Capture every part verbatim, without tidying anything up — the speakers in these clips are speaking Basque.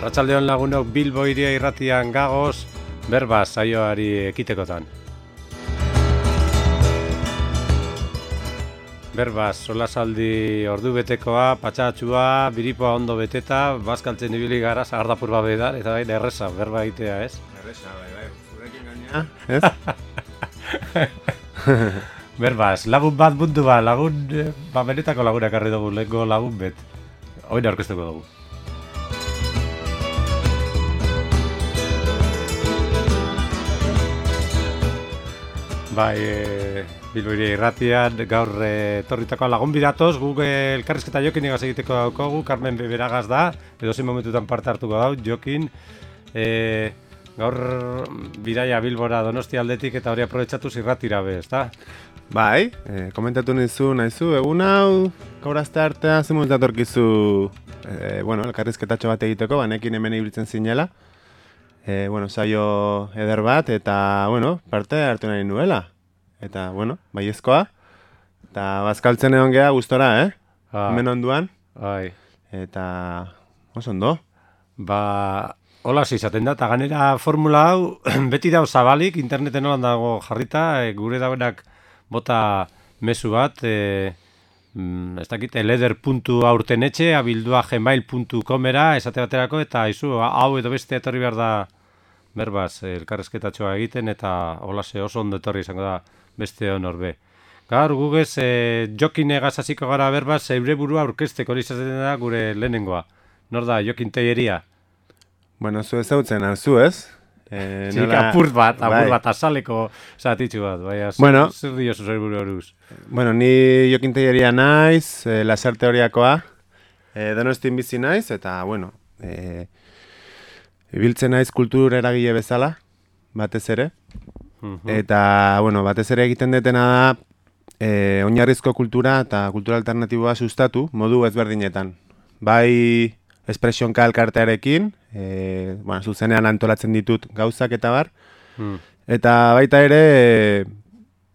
Arratsaldeon lagunok Bilbo Hiria Irratian gagoz, berba saioari ekitekotan. Berbaz, solasaldi ordu betekoa, patxatxua, biripoa ondo beteta, bazkaltzen ibili gara, sagardapur babe da, eta bai, erresa, berba egitea, ez? Erresa, bai, bai, zurekin gaina, ez? Berbaz, lagun bat mundu ba, lagun, ba, benetako lagunak arri dugu, lehenko lagun bet. Hoin aurkeztuko dugu. Bai, e, Bilbo Hiria Irratian, gaur e, torritako lagun bidatoz, guk e, elkarrizketa Jokin egaz egiteko daukogu, Carmen Beberagaz da, edo zein momentutan parte hartuko dau, Jokin. E, gaur bidaia Bilbora Donostia aldetik eta hori aprobetxatuz irratira be, ezta? Bai, e, komentatu nizu, nahizu, egun hau, gaur azte artean, zen momentu atorkizu, e, bueno, elkarrizketatxo bat egiteko, banekin hemen ibiltzen zinela. E, bueno, saio eder bat, eta, bueno, parte hartu nahi nuela. Eta, bueno, baiezkoa. Eta bazkaltzen egon geha gustora, eh? Ah. Hemen onduan. Bai. Eta, oso ondo. Ba, hola izaten da, eta ganera formula hau, beti dau zabalik, interneten holan dago jarrita, e, gure dauenak bota mezu bat, e, mm, ez dakit, eleder puntu aurtenetxe, abildua gmail puntu comera, esate baterako, eta izu, hau edo beste etorri behar da, berbaz, elkarrezketatxoa egiten, eta holase oso ondo etorri izango da beste honor be. Gaur, gugez, e, Jokin egaz hasiko gara berbaz, zeure burua aurkezteko hori izaten da gure lehenengoa. Nor da, Jokin Tellería? Bueno, zu ezautzen, zu ez? E, Txik, nola... apur bat, apur bai. bat, azaleko zatitxu bat, baina, Bueno. zer diozu zer buru horuz? Bueno, ni Jokin Tellería naiz, e, lasarte horiakoa, e, Donostin bizi naiz, eta, bueno, e, ibiltzen naiz kultur eragile bezala, batez ere. Eta, bueno, batez ere egiten detena da, e, oinarrizko kultura eta kultura alternatiboa sustatu, modu ezberdinetan. Bai, espresionka elkartearekin, e, bueno, zuzenean antolatzen ditut gauzak eta bar, Hmm. eta baita ere e,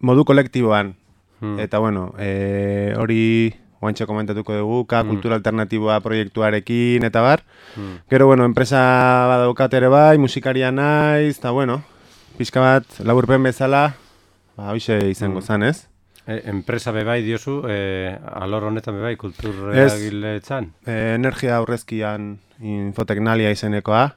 modu kolektiboan. Hmm. Eta, bueno, e, hori guantxe komentatuko dugu, ka Hmm. kultura alternatiboa proiektuarekin eta bar. Hmm. Gero, bueno, enpresa badaukat ere bai, musikaria naiz, eta, bueno, pixka bat, laburpen bezala, ba, hoxe izango Hmm. zan, ez? E, enpresa bebai diozu, e, alor honetan bebai, kultur Ez. eragile txan? E, energia aurrezkian infoteknalia izenekoa,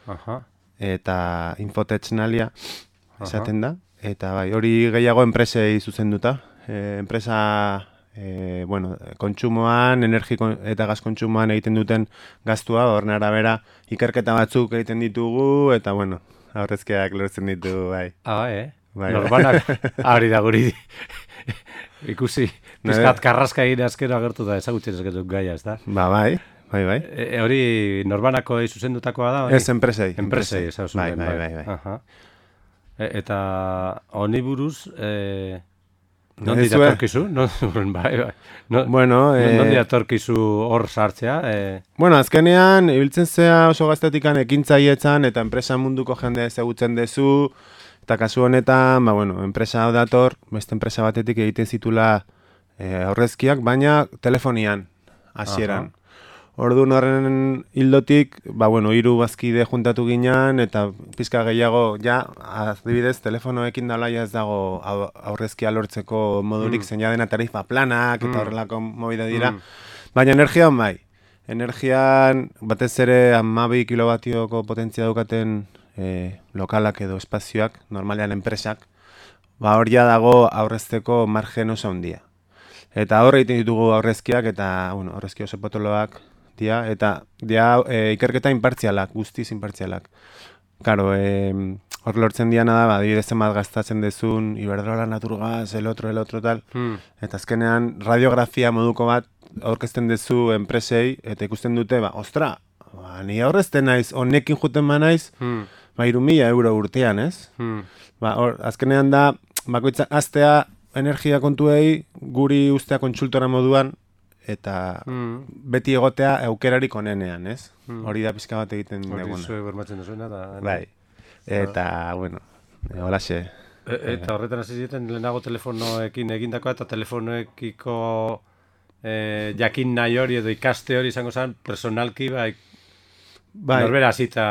Aha. eta infotechnalia Aha. esaten da. Eta bai, hori gehiago enpresei zuzenduta. E, enpresa, e, bueno, kontsumoan, energi kon- eta gaz kontsumoan egiten duten gastua, horren arabera ikerketa batzuk egiten ditugu, eta bueno, aurrezkiak lortzen ditu, bai. Ah, bai, eh? Bai, bai. Norbanak, hori da guri ikusi, pizkat karraska egin azkero agertu da ezagutzen ezketuk gaia, ez da? Ba, bai, bai, bai. E, e, hori norbanako zuzendutakoa da? Hori? Ez enpresei. Enpresei, ez hau Bai, zuten, bai, bai, bai. Aha. E, eta honi buruz, e, nondi Ezue- datorkizu? No, bai, bai. No, Bueno, no, eh, nondi datorkizu hor sartzea? E, Bueno, azkenean, ibiltzen zea oso gaztetikan ekintzaietzan eta enpresa munduko jende ezagutzen dezu, eta kasu honetan, ba, bueno, enpresa hau dator, beste enpresa batetik egiten zitula e, aurrezkiak, baina telefonian, hasieran. Orduan horren hildotik, ba, bueno, hiru bazkide juntatu ginean, eta pizka gehiago, ja, adibidez, telefonoekin dala ja ez dago au- aurrezkia lortzeko modurik, Mm. zein ja dena tarifa planak, eta Mm. horrelako movida dira. Mm. Baina energian bai. Energian batez ere hamabi kilobatioko potentzia daukaten e, lokalak edo espazioak, normalean enpresak, ba hor ja dago aurrezteko margen oso handia. Eta hor egiten ditugu aurrezkiak eta, bueno, aurrezki oso potoloak dia, eta dia e, ikerketa inpartzialak, guztiz inpartzialak. Karo, e, hor lortzen diana da, ba, adibidez zenbat gastatzen dezun, Iberdrola, Naturgas, el otro, el otro, tal. hmm. Eta azkenean radiografia moduko bat aurkezten dezu enpresei, eta ikusten dute, ba, ostra, ba, ni aurrezten naiz, honekin juten ba naiz, Hmm. ba, hiru mila euro urtean, ez? Hmm. Ba, hor, azkenean da, bakoitza, aztea energia kontuei, guri ustea kontsultora moduan, eta Hmm. beti egotea aukerarik onenean, ez? Hmm. Hori da pizka bat egiten Hori duguna. zue bermatzen duzuena, eta... Bai. Eta, bueno, e, holaxe. E, eta horretan hasi zieten lehenago telefonoekin egindakoa, eta telefonoekiko e, jakin nahi hori edo ikaste hori izango zen personalki, bai, bai. Norbera zita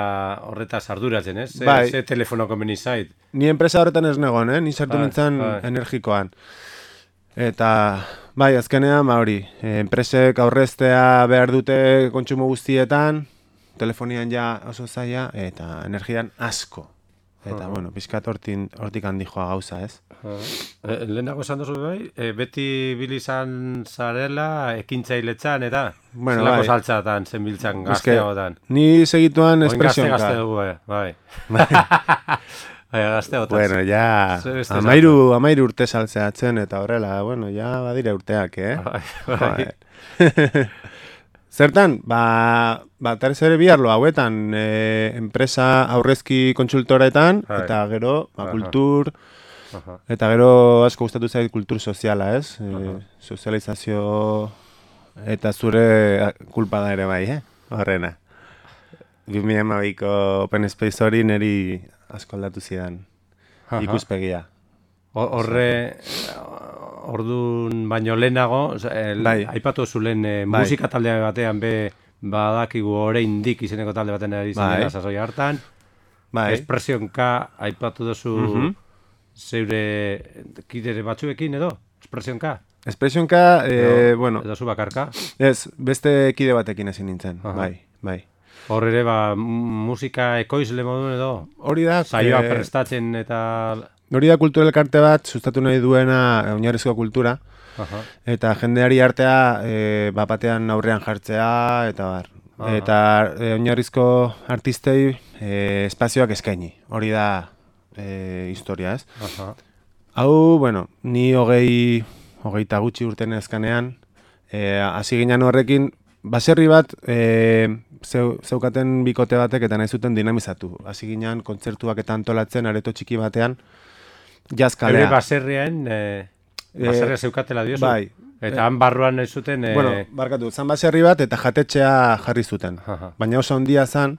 horretaz arduratzen, ez? Ze, Bai. ze telefono komeni zait. Ni enpresa horretan ez negon, eh? Ni sartu Bai, nintzen bai. energikoan. Eta, bai, azkenean, ba hori, eh, enpresek aurreztea behar dute kontsumo guztietan, telefonian ja oso zaila, eta energian asko. Eta, bueno, pixkat hortin, hortik handi joa gauza, ez? E, lehenago esan duzu bai, e, beti bilizan zarela ekintzailetzan, eta Bueno, zelako bai. saltzatan, zenbiltzan Es que gazteagotan. Ni segituan Oin gazte espresionka. gazte dugu, eh, bai. Bai, gazteagotan. Bueno, ja, Zer beste amairu, amairu urte saltzeatzen, eta horrela, bueno, ja badira urteak, eh? Bai, bai. Joder. Zertan, ba, ba terez ere biharlo hauetan, e, enpresa aurrezki kontsultoretan, Bai. eta gero, ba, Aha. kultur, Aha. eta gero asko gustatu zait kultur soziala, ez? E, Aha. sozializazio eta zure kulpa da ere bai, eh? Horrena. bi mila hamabiko Open Space hori niri asko aldatu zidan Aha. ikuspegia. Ho- Horre, ordun baino lehenago, oza, el, Bai. aipatu zulen e, Bai. musika talde batean be badakigu oraindik izeneko talde baten ari Bai. zinela sasoi hartan. Bai, Espresionka aipatu duzu Mhm. zeure kidere batzuekin edo? Espresionka? Espresionka, e, Edo- bueno, Edo zu bakarka? ez, beste kide batekin ezin nintzen, Aha. bai, bai. Hor ere, ba, m- musika ekoizle modun edo? Hori da, Saioa eh, prestatzen eta... hori da kultura elkarte bat sustatu nahi duena oinarrizko kultura, Aha. eta jendeari artea e, bapatean aurrean jartzea, eta bar. Aha. Eta e, oinarrizko artistei e, espazioak eskaini. Hori da e, historia, ez? Aha. Hau, bueno, ni hogei, hogeita gutxi urten ezkanean, e, hasi ginen horrekin, baserri bat e, zeu, zeukaten bikote batek eta nahi zuten dinamizatu. Hasi ginen kontzertuak eta antolatzen areto txiki batean, jazz Eure kalea. baserrian, e, baserria zeukatela diozu? bai. Eta han barruan nahi zuten... E, Bueno, barkatu, zan baserri bat eta jatetxea jarri zuten. Aha. Baina oso handia zan,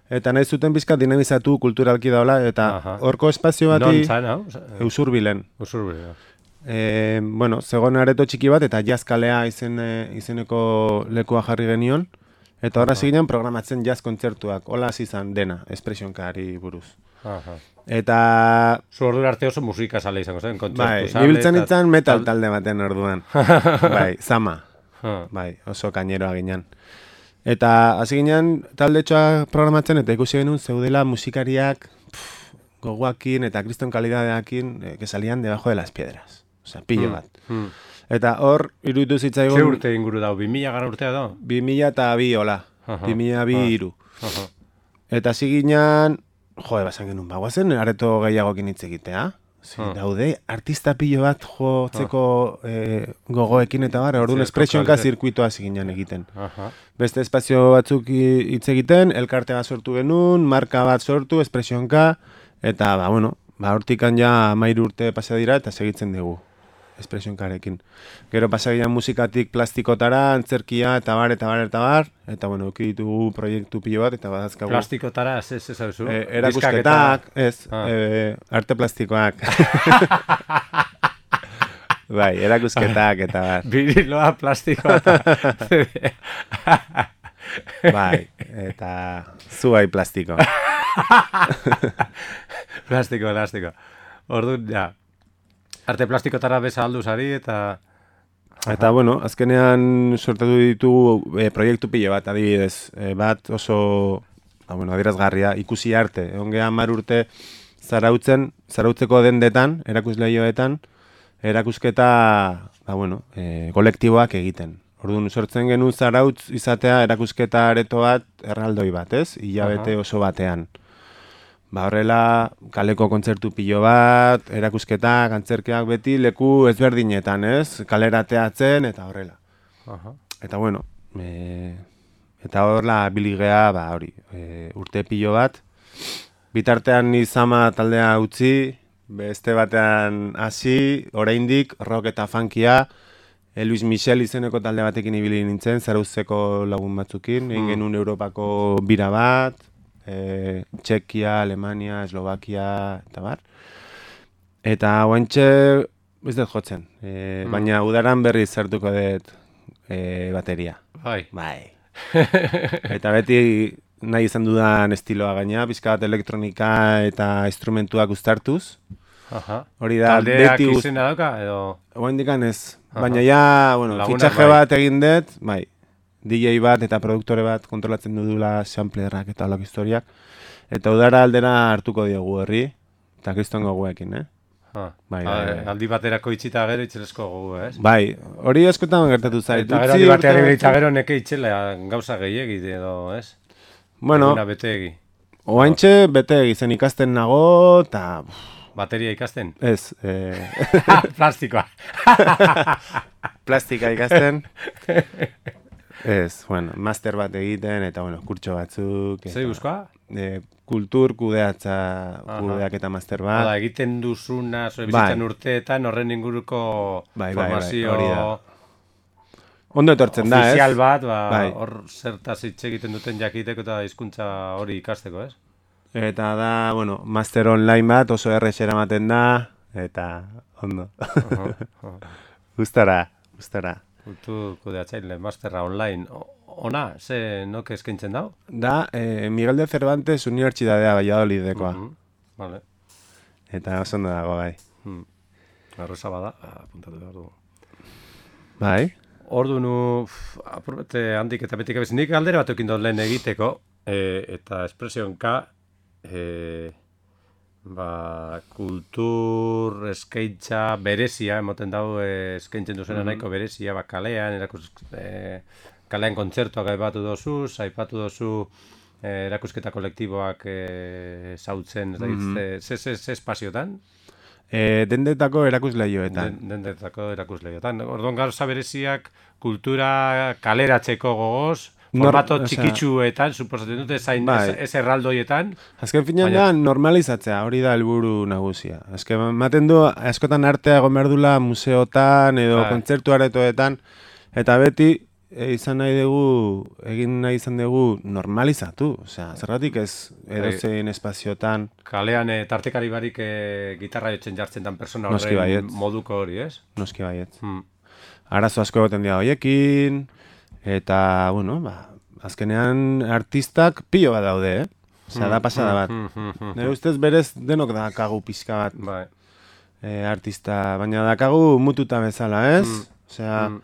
eta nahi zuten bizkat dinamizatu kulturalki daula, eta Aha. horko espazio non bati zan, hau? Usurbilen. Usurbil. E, bueno, zegoen areto txiki bat eta jazzkalea izen, e, izeneko lekua jarri genion. Eta horra ginen programatzen jazz kontzertuak. Hola hasi izan dena, espresionkari buruz. Aha. Eta, Zu ordu arte oso musika sale izango zen, kontzertu bai, sale. ibiltzen eta- nintzen metal talde baten orduan. Bai, zama. Ha. Bai, oso kaineroa ginen. Eta hasi ginen taldetxoa programatzen eta ikusi genuen zeudela musikariak pff, gogoakin eta kriston kalidadeakin eh, que salían debajo de las piedras. Osea, pillo bat. Hmm. Eta hor, iruditu zitzaigun... Ze urte inguru dau, bi mila gara urtea da? bi mila eta bi, hola. Aha. bi mila bi Ah. iru. Aha. Eta hasi ginen, jode, basan genuen, bagoazen areto gehiagokin hitz egitea. Zi, Ah. daude, artista pilo bat jotzeko eh, gogoekin eta bar, orduan Zer, espresionka kokalitate. zirkuitoa hasi ginen egiten. Aha. Beste espazio batzuk i- hitz egiten, elkarte bat sortu genuen, marka bat sortu, espresionka, eta, ba, bueno, ba, hortikan ja amairu urte pasa dira eta segitzen dugu espresionkarekin. Gero pasa ginean musikatik plastikotara, antzerkia, eta bar, eta bar, eta bar, eta, bueno, uki ditugu proiektu pilo bat, eta badazkagu. Plastikotara, ze, ze zauzu? E, erakusketak, ez, Ah. e, arte plastikoak. Bai, erakusketak, eta bar. Biriloa plastikoa eta... Bai, eta zuai plastiko. plastiko, plastiko. Orduan, ja. Arte plastikotara beza aldu zari eta... Eta, bueno, azkenean sortatu ditugu e, proiektu pilo bat, adibidez. E, bat oso, ba, bueno, adierazgarria, ikusi arte. Egon gehan mar urte zarautzen, zarautzeko dendetan, erakusleioetan, erakusketa, ba, bueno, e, kolektiboak egiten. Orduan, sortzen genuen zarautz izatea erakusketa areto bat, erraldoi bat, ez? Hilabete Aha. oso batean. Ba, horrela, kaleko kontzertu pilo bat, erakusketak, antzerkeak beti, leku ezberdinetan, ez? Kalerateatzen, eta horrela. Aha. Eta bueno, e, eta horrela biligea, ba, hori, e, urte pilo bat. Bitartean ni zama taldea utzi, beste batean hasi, oraindik rock eta funkia, e, Luis Michel izeneko talde batekin ibili nintzen, Zarauzeko lagun batzukin, egin genuen Europako bira bat, e, Txekia, Alemania, Eslovakia, eta bar. Eta guantxe, ez dut jotzen, e, Mm. baina udaran berriz sartuko dut e, bateria. Bai. Bai. Eta beti nahi izan dudan estiloa gaina, pizka bat elektronika eta instrumentuak uztartuz. Aha. Hori da, taldeak beti guz... izena dauka, edo... Oaindikan ez, Aha. baina ja, bueno, Lagunak fitxaje bai. bat egin dut, bai, D J bat eta produktore bat kontrolatzen dudula samplerrak eta olak historiak. Eta udara aldera hartuko diogu herri, eta kristongo guekin, eh? Ah. Bai, Ah, bai, bai. aldi baterako itxita gero itxelesko gogu, ez? Bai, hori askotan gertatu zait. Eta gero Utzi aldi batean urte- eta gero neke itxela gauza gehiegi edo, ez? Bueno, Eguna betegi. oaintxe bete egiten ikasten nago, eta... Bateria ikasten? Ez, eh, Plastikoa. plastika ikasten. Ez, bueno, master bat egiten, eta, bueno, kurtso batzuk. eta, Zer guzkoa? eh, kultur kudeatza, Aha. kudeak eta master Hala, bat. egiten duzuna, zure bizitzan Bai. urteetan horren inguruko Bai, bai, bai, formazio hori da. Ondo etortzen da, ez? ofizial bat, ba, Bai. hor zertaz hitz egiten duten jakiteko eta hizkuntza hori ikasteko, ez? Eta da, bueno, master online bat oso errex eramaten da, eta ondo. Aha, aha. Gustara, gustara. Kultur kudeatzaile, masterra online. O- Ona, ze nok eskaintzen dau? Da, eh, Miguel de Cervantes Unibertsitatea Valladolidekoa. Mhm, Vale. Eta oso ondo dago, bai. Hmm. Arroza bada, apuntatu behar dugu. Bai? Ordu nu, apurbete handik eta betik abiz, nik galdera bat eukin dut lehen egiteko, e, eta espresionka, e, ba, kultur eskaintza berezia, emoten dau e, eskaintzen duzena nahiko berezia, ba, kalean, erakus, e, kalean kontzertuak aipatu dozu, aipatu dozu e, erakusketa kolektiboak e, zautzen, ez da, Mhm. ze, ze, ze, ze espaziotan? E, dendetako erakusleioetan. Den- Dendetako erakusleiotan. Orduan gauza bereziak kultura kaleratzeko gogoz, Nor- formato osea- txikitsuetan, suposatzen dute zain Bai. ez, ez erraldoietan. Azken finean Baina- da normalizatzea, hori da helburu nagusia. Azken ematen du, askotan artea egon behar dula museotan edo Bai. kontzertu aretoetan, eta beti e, izan nahi dugu, egin nahi izan dugu normalizatu. Osea, zergatik ez edozein espaziotan. Kalean e, tartekari barik e, gitarra jotzen jartzen dan persona Noski horren baietz. moduko hori, ez? Noski baietz. Hmm. Arazo asko egoten dira hoiekin, eta, bueno, ba, azkenean artistak pilo bat daude, eh? Osea, da pasada bat. Hmm, hmm, hmm, Nire ustez berez denok dakagu pixka bat Bai. e, artista, baina dakagu mututa bezala, ez? Mm. Osea, Mm.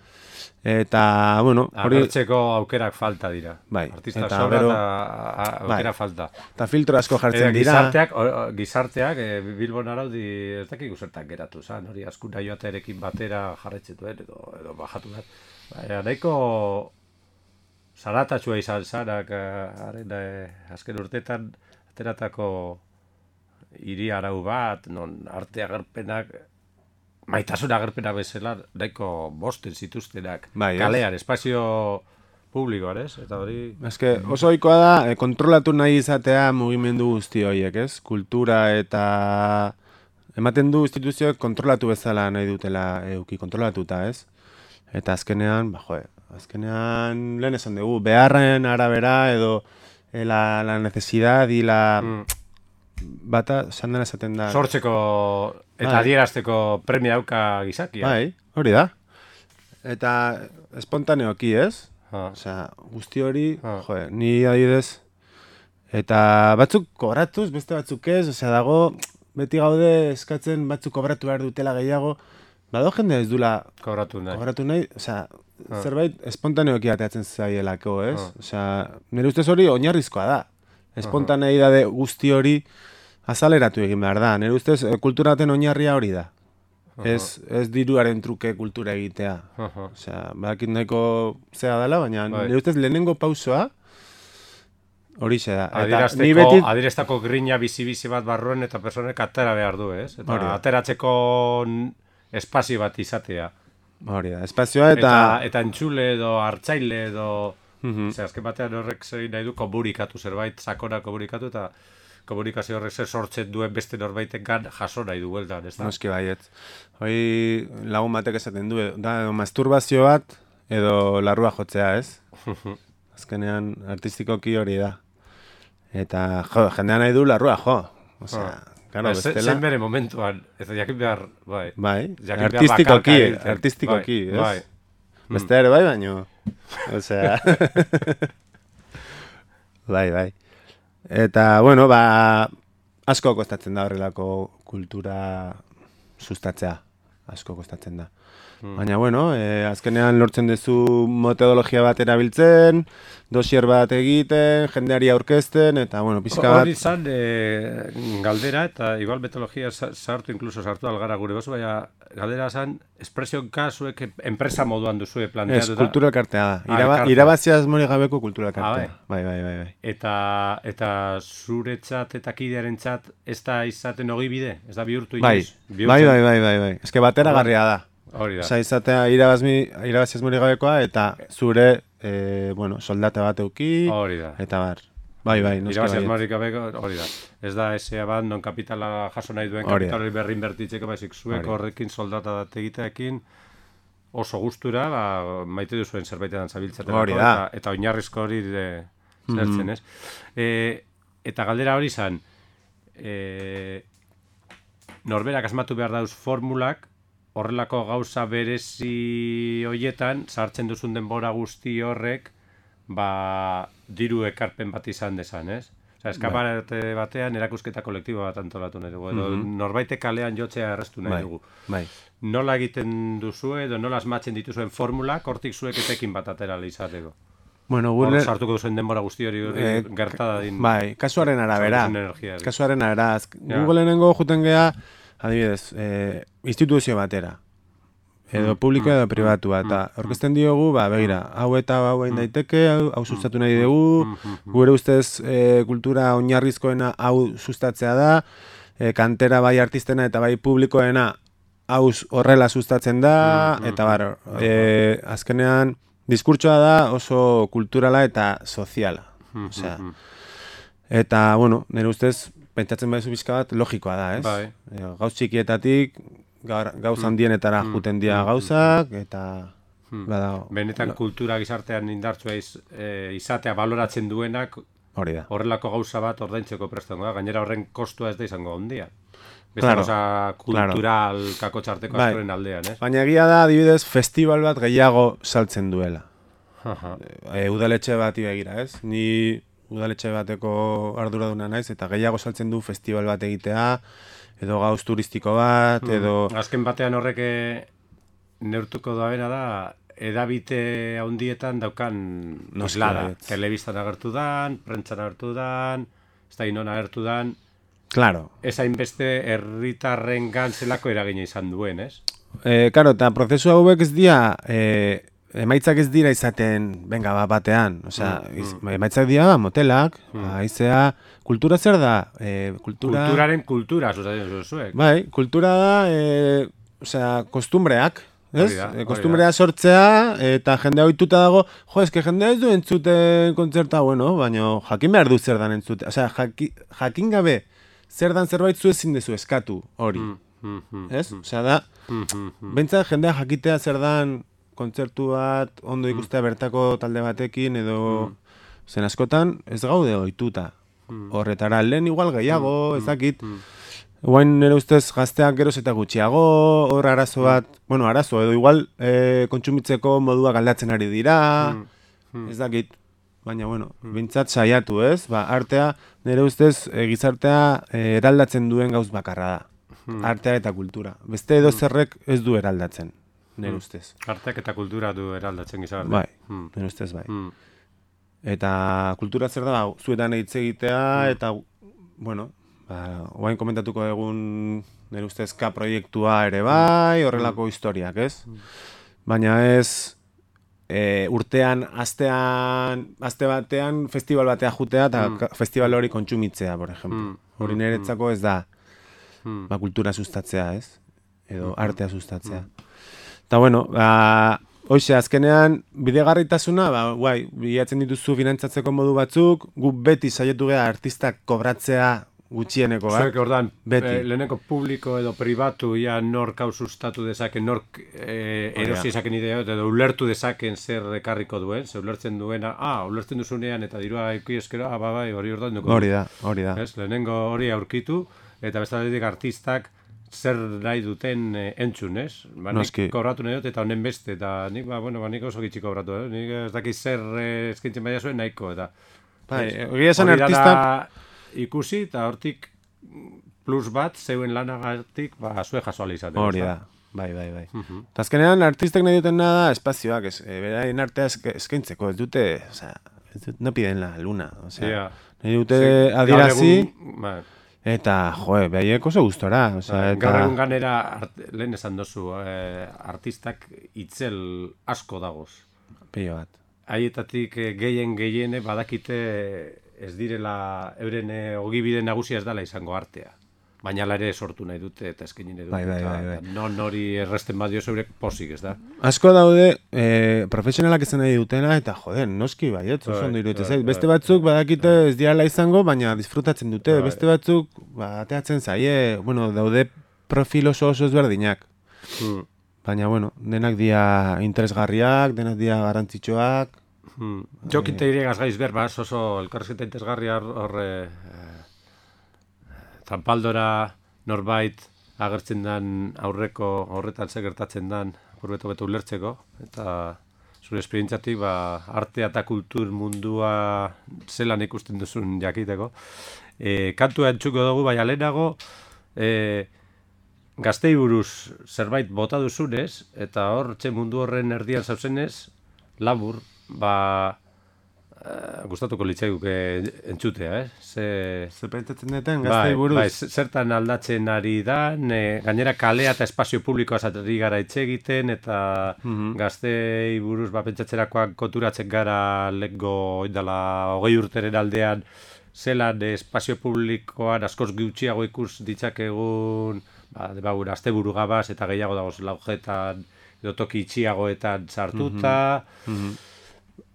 eta, bueno, hori, Agertzeko aukerak falta dira. Bai, Artista eta sobra gero- eta a- a- aukera Bai. falta. eta filtro asko jartzen Eta dira. gizarteak, o- o- gizarteak e, Bilbon araudi ez dakik zertak geratu zan, hori askura joatearekin batera jarretxe duen edo, edo bajatu behar. Baina nahiko zaratatxua izan zarak, haren eh, azken urtetan ateratako hiri arau bat, non arte agerpenak, maitasun agerpena bezala, nahiko bosten zituztenak, Bai, ez? kalean, espazio publikoan, ez? Eta hori... Eske oso ohikoa da, e, kontrolatu nahi izatea mugimendu guzti horiek, ez? Kultura eta ematen du instituzioek kontrolatu bezala nahi dutela eduki kontrolatuta, ez? Eta azkenean, ba, joe, azkenean lehen esan dugu, beharren arabera edo eh, la, la necesidad y la Mm. bata, esan dena esaten da. Sortzeko eta Bai. adierazteko premia dauka gizakia. Bai, hori da. Eta espontaneoki, ez? Ha. Osea, guzti hori, Ah. joe, ni adidez, eta batzuk kobratuz, beste batzuk ez, osea, dago, beti gaude eskatzen batzuk kobratu behar dutela gehiago, bado jende ez dula Kobratu nahi. kobratu nahi, osea, Ah. zerbait espontaneoki ateatzen zaielako, ez? Ah. Osea, nire ustez hori oinarrizkoa da. Espontaneidade guzti hori azaleratu egin behar da. Nire ustez, eh, kulturaten oinarria hori da. Ez, ez diruaren truke kultura egitea. Aha. Osea, badakit nahiko zea dela, baina Bai. nire ustez lehenengo pausoa horixe da. Eta Adierazteko, ni beti... adierazteko grina bizi-bizi bat barruen eta personek atera behar du, ez? Eta Hori da. ateratzeko n- espazio bat izatea. Hori da, espazioa Eta, eta... eta entzule edo hartzaile edo... Mhm. Ze, azken batean horrek zein nahi du komunikatu zerbait, sakona komunikatu eta komunikazio horrek zer sortzen duen beste norbaitengan jaso nahi du bueltan, ez da? Noski baietz. Hoi lagun batek esaten du, da edo masturbazio bat edo larrua jotzea, ez? Azkenean artistikoki hori da. Eta jo, jendea nahi du larrua jo. Osea, claro, Ba, ze- bestela... Zen bere momentuan, ez da jakin behar, bai. Bai, Jakin behar artistikoki, bakarka egiten. artistikoki, Bai, ez? bai. Beste ere bai, baino. Osea... bai, bai. Eta, bueno, ba, asko kostatzen da horrelako kultura sustatzea. Asko kostatzen da. Mm. Baina, bueno, eh, azkenean lortzen duzu metodologia bat erabiltzen, dosier bat egiten, jendeari aurkezten, eta, bueno, pizka bat... Hori izan, e, galdera, eta igual metodologia sartu, incluso sartu algara gure gozu, baina galdera zan, espresionka zuek enpresa moduan duzue planteatuta. Ez, kultura elkartea da. Iraba, ah, irabaziaz mori gabeko kultura elkartea. Ah, bai, bai, bai, bai. Eta, eta zuretzat eta kidearentzat ez da izaten ogi bide? Ez da bihurtu inoiz? Bai, bai, bai, bai, bai, bai. Ez que batera garria da. Hori da. Osa, izatea irabaziaz mori gabekoa, eta zure, eh, bueno, soldata bat euki, hori da. Eta bar. Bai, bai, noski bai. Irabaziaz mori gabeko, hori da. Ez da esea bat, non kapitala jaso nahi duen kapitalari berri inbertitzeko, baizik zuek horrekin soldata bat egiteekin, oso gustura, ba, maite duzuen zerbaitetan zabiltzaten. Hori da. Eta, eta oinarrizko hori de, zertzen, ez? E, eta galdera hori zan, e, norberak asmatu behar dauz formulak, horrelako gauza berezi hoietan, sartzen duzun denbora guzti horrek, ba, diru ekarpen bat izan dezan, ez? Osa, eskaparate batean erakusketa kolektibo bat antolatu nahi dugu, edo mm-hmm. norbaite kalean jotzea errestu nahi bai, dugu. Bai. Nola egiten duzu edo nola asmatzen dituzuen formulak, hortik zuek etekin bat atera izateko? Bueno, gure... Hor sartuko duzuen denbora guzti hori eh, gertada din... Bai, kasuaren arabera. Energia, kasuaren arabera. Ja. Google-enengo juten geha, adibidez, eh, instituzio batera. Edo publiko edo pribatua, eta orkesten diogu, ba, begira, hau eta hau egin daiteke, hau, hau sustatu nahi dugu, gure ustez e, kultura oinarrizkoena hau sustatzea da, e, kantera bai artistena eta bai publikoena hau horrela sustatzen da, eta bar, e, azkenean, diskurtsoa da oso kulturala eta soziala. Osea, eta, bueno, nire ustez, pentsatzen baizu bizka bat, logikoa da, ez? Bai. E, gauz txikietatik, gauza handienetara mm. juten dira mm. gauzak, eta... Mm. Bada, benetan lo... kultura gizartean indartzua iz, e, izatea baloratzen duenak, hori da. Horrelako gauza bat ordaintzeko prestango da, gainera horren kostua ez da izango ondia. Beste claro, gauza kultural claro. kakotxarteko bai. askoren aldean, ez? Baina egia da, adibidez, festival bat gehiago saltzen duela. E, udaletxe bati begira, ez? Ni udaletxe bateko arduraduna naiz, eta gehiago saltzen du festival bat egitea, edo gauz turistiko bat, edo... Mm. Azken batean horrek neurtuko daena da, edabite handietan daukan noslada. Telebistan agertu dan, prentzan agertu dan, ez da inon agertu dan... Claro. Ez hainbeste herritarren gantzelako eragina izan duen, ez? Eh, claro, eta prozesu hauek ez dira... Eh, emaitzak ez dira izaten, venga, bat batean. Osea, mm, iz, mm. emaitzak dira, motelak, mm. aizea, kultura zer da? E, kultura... Kulturaren kultura, sustatzen zuek. Bai, kultura da, e, osea, kostumbreak, ez? Da, e, kostumbrea sortzea, eta jendea ohituta dago, jo, eske jendea ez du entzuten kontzerta, bueno, baina jakin behar du zer dan entzute. Osea, jaki, jakin gabe, zer dan zerbait zu ezin dezu eskatu hori. Mm, mm, mm, ez? Mm, osea, da, mm, mm, mm. Bentsat jendea jakitea zer dan kontzertu bat, ondo ikustea bertako talde batekin, edo mm. zen askotan, ez gaude ohituta. Mm. Horretara, lehen igual gehiago, mm. ezakit. Mm. Guain nire ustez gazteak geroz eta gutxiago, hor arazo bat, mm. bueno, arazo, edo igual e, kontsumitzeko moduak aldatzen ari dira, mm. Mm. ez dakit. Baina, bueno, mm. bintzat saiatu, ez? Ba, artea, nire ustez, e, gizartea e, eraldatzen duen gauz bakarra da. Mm. Artea eta kultura. Beste edo zerrek ez du eraldatzen. Nire ustez. Arteak eta kultura du eraldatzen gizarte. Bai, mm. nire ustez bai. Mm. Eta kultura zer da, zuetan hitz egitea, mm. eta, bueno, ba, oain komentatuko egun nire ustez K proiektua ere bai, horrelako mm. historiak, ez? Mm. Baina ez e, urtean, astean, aste batean, festival batea jutea, eta mm. festival hori kontsumitzea, por ejemplo. Mm. Hori niretzako ez da, mm. ba, kultura sustatzea, ez? Edo mm. artea sustatzea. Mm. Eta, bueno, ba, hoxe, azkenean, bidegarritasuna, ba, guai, bilatzen dituzu finantzatzeko modu batzuk, gu beti saietu geha artistak kobratzea gutxieneko, bat? Zuek, ordan, e, leheneko publiko edo pribatu, ja, nork hau sustatu dezaken, nork e, erosi dezaken idea, edo ulertu dezaken zer ekarriko duen, ze ulertzen duena, ah, ulertzen duzunean, eta dirua eki eskero, ah, ba, bai, hori ordan duko. Hori da, hori da. Ez, lehenengo hori aurkitu, eta bestaletik artistak, zer nahi duten eh, entzun, ez? Ba, nik kobratu nahi dut eta honen beste, eta nik, ba, bueno, ba, nik oso gitxi kobratu, eh? Nik ez dakit zer eh, eskintzen baina zuen nahiko, eta Bai, egia esan artistak ikusi eta hortik plus bat zeuen lanagatik ba zue jaso ahal izaten. Hori da. Bai, bai, bai. Uh-huh. Azkenean artistek nahi duten nada espazioak, es, e, beraien artea eskaintzeko, ez dute, o sea, ez dut, no piden la luna, o sea, yeah. nahi dute sí, adierazi, bai. Eta, joe, behaiek oso gustora, o sea, eta... Gaur egun ganera, art, lehen esan dozu, eh, artistak itzel asko dagoz. Pilo bat. Haietatik eh, gehien gehiene badakite ez direla euren eh, ogibide nagusia ez dela izango artea. Baina ere sortu nahi dute eta eskaini nahi dute. Bai, bai, bai, bai. Non hori erresten badio zeure posik, ez da? Asko daude eh, profesionalak izan nahi dutena eta joden, noski baiet, oso ondo iruditzen zait. Beste batzuk badakite ez diala izango, baina disfrutatzen dute. Beste batzuk ba, ateatzen zaie, bueno, daude profil oso oso ezberdinak. Hmm. Baina, bueno, denak dia interesgarriak, denak dia garantzitsuak. Hmm. Jokinte eh... iregaz gaiz berbaz, oso elkarrezketa interesgarria horre... Zanpaldora norbait agertzen den aurreko horretan ze gertatzen den aurreto beto ulertzeko eta zure esperientziatik ba, artea eta kultur mundua zelan ikusten duzun jakiteko. E, kantua entzuko dugu, baina lehenago e, gaztei buruz zerbait bota duzunez eta hor txe mundu horren erdian zauzenez labur, ba... Uh, gustatuko litzaiguke entzutea, eh? Ze... Ze pentsatzen deten, gaztei buruz. Bai, bai, zertan aldatzen ari da, ne, gainera kalea eta espazio publikoa zateri gara etxe egiten, eta mm-hmm. gaztei buruz ba, pentsatzerakoak konturatzen gara leko oindala hogei urteren aldean, zelan espazio publikoan askoz gutxiago ikus ditzakegun, ba, ba, azte buru gabaz, eta gehiago dagoz laujetan, edo toki itxiagoetan sartuta, mm-hmm. Mm-hmm.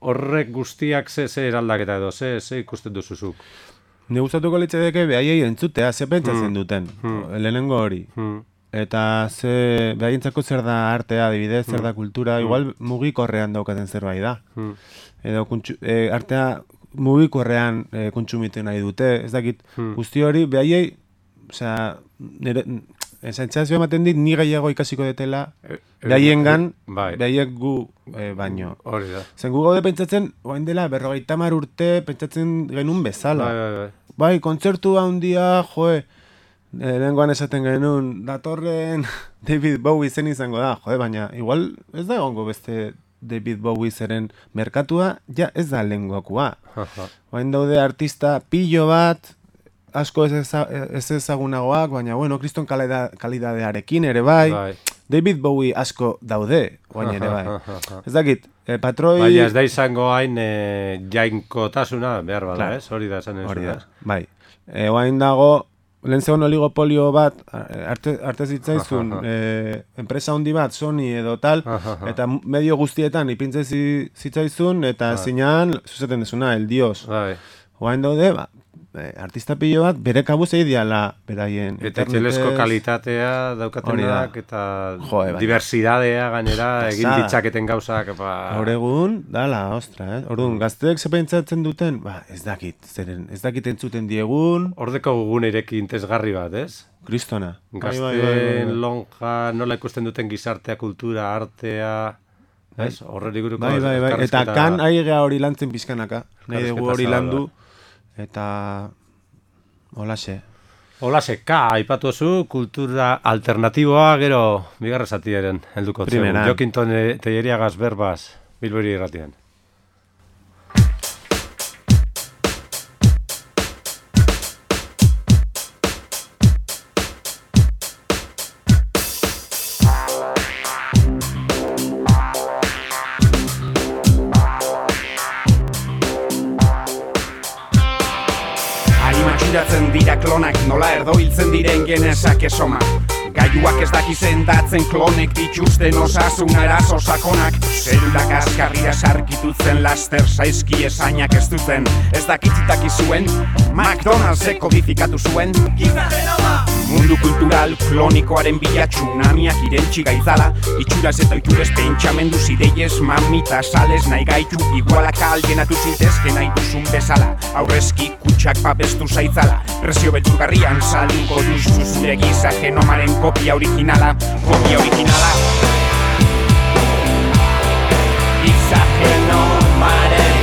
Horrek guztiak ze, ze eraldaketa edo, ze, ze ikusten duzuzuk? Ne gustatuko litzateke behaiei entzutea, ze pentsatzen duten, hmm. lehenengo hori. Hmm. Eta ze behaientzako zer da artea, adibidez, zer da kultura, hmm. igual mugikorrean daukaten zerbait da. Hmm. Edo kuntxu, e, artea mugikorrean e, kontsumitu nahi dute, ez dakit, hmm. guzti hori behaiei, osea, nire... Sentsazio ematen dit, ni gehiago ikasiko detela, behaiengan, bai. Behaiek gu e, baino. Hori da. Zen gu gaude pentsatzen, oain dela, berrogeita hamar urte pentsatzen genuen bezala. Bai, bai, bai. Bai, kontzertu handia, joe, e, lehengoan esaten genuen, datorren David Bowie zen izango da, joe, baina igual ez da egongo beste David Bowie zeren merkatua, ja ez da lehengoakua. Oain daude artista pillo bat, asko ez, eza, ez ezagunagoak, baina, bueno, kriston kalidadearekin ere bai. Bai. David Bowie asko daude, guain ere bai. Ez dakit, eh, patroi... Baina ez da izango hain eh, jainkotasuna behar bada, ez? Hori da esan ez. Hori da, bai. Eh, guain dago, lehen zegoen oligopolio bat, arte, arte zitzaizun, eh, enpresa handi bat, Sony edo tal, eta medio guztietan ipintzen zitzaizun, eta zinean, zuzaten dezuna, el dios. Bai. Guain daude, ba, artista pilo bat, bere kabuz eidiala beraien. Eta txelesko kalitatea daukatenak, eta jo, e, diversidadea gainera, egin ditzaketen gauzak. Ba... Hor egun, dala, ostra, eh? Orduan, gazteek zepentsatzen duten, ba, ez dakit, zeren, ez dakit entzuten diegun. Hordeko gugun ireki intezgarri bat, ez? Kristona. Gazteen lonja, nola ikusten duten gizartea, kultura, artea... Ez? Horreri guruko... Bai, bai, bai. Eta kan aigea hori lantzen pizkanaka. Nahi dugu hori landu. Eta holaxe. Holaxe, ka, aipatu zu, kultura alternatiboa, gero bigarra zatiaren helduko zeu. Jokinton Telleriagaz berbaz, Bilbori irratian. Dira klonak nola erdoiltzen diren genesak esoma. Gaiuak ez dakizen datzen klonek dituzten osasun arazo sakonak. Zelulak askarria sarkitutzen laster saizki esainak ez duten. Ez dakitzitak izuen, McDonald'sek kodifikatu zuen. Mundu kultural klonikoaren bila tsunamiak irentxi gaitzala. Itxuraz eta itxurez pentsamendu zideiez mamita sales nahi gaitu. Igualak algenatu zintezke nahi duzun bezala. Aurrezki kutsak babestu zaitzala. Presio beturgarrian salduko duzu zure giza genomaren kopia originala. Kopia originala. Giza genomaren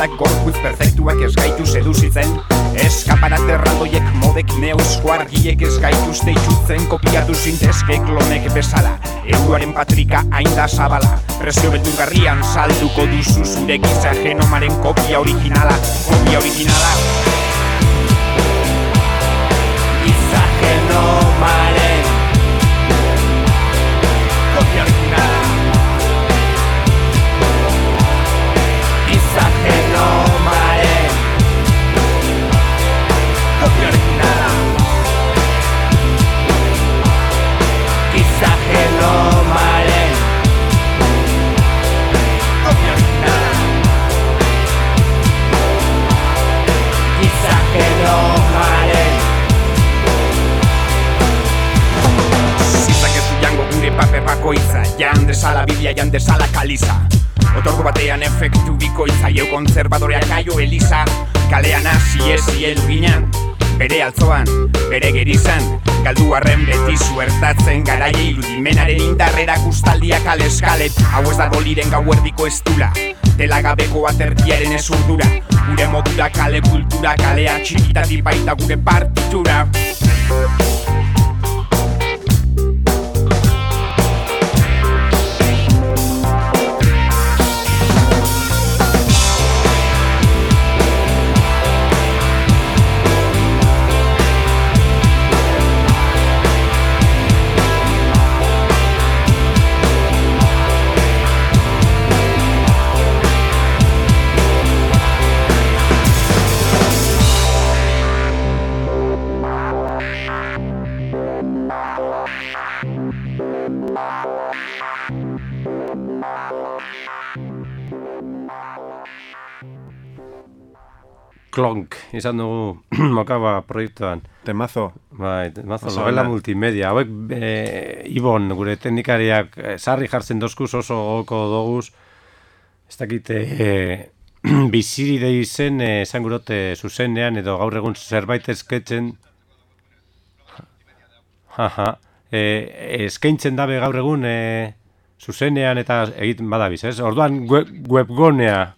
bezalak gorputz perfektuak ez gaitu seduzitzen. Eskaparat erraldoiek modek neuzko argiek ez gaituzte itxutzen. Kopiatu zintezke klonek bezala, euroaren patrika hain da zabala. Prezio beldurgarrian salduko duzu zure giza genomaren kopia originala. Kopia originala giza genomaren kopia originala. Giza genomaren kopia originala. Giza genomaren kopia originala. Giza genomaren. Zizak ez du jango gure paper bakoitza, jan desala biblia, jan desala kaliza. Otorgo batean efektu bikoitza, jau konservadoreak aio eliza. Kalean hasi ezi elginan, bere altzoan, bere gerizan. Galdu arren beti zuertatzen, garaia irudimenaren indarrera kustaldia kale eskalet. Hau ez da goliren gauerdiko estula, telagabeko atertiaren ezurdura. Gure modura kale kultura, kalea txikitati baita gure partitura. Klonk, izan dugu Mokaba proiektuan. Temazo. Bai, temazo, Oso novela ona. multimedia. Hauek, e, Ibon, gure teknikariak e, sarri jartzen dozkuz oso goko doguz. Ez dakite, e, biziride izen, e, esan gurote zuzenean, edo gaur egun zerbait esketzen. Jaja, e, eskaintzen dabe gaur egun e, zuzenean eta egiten badabiz, ez? Orduan web, webgonea,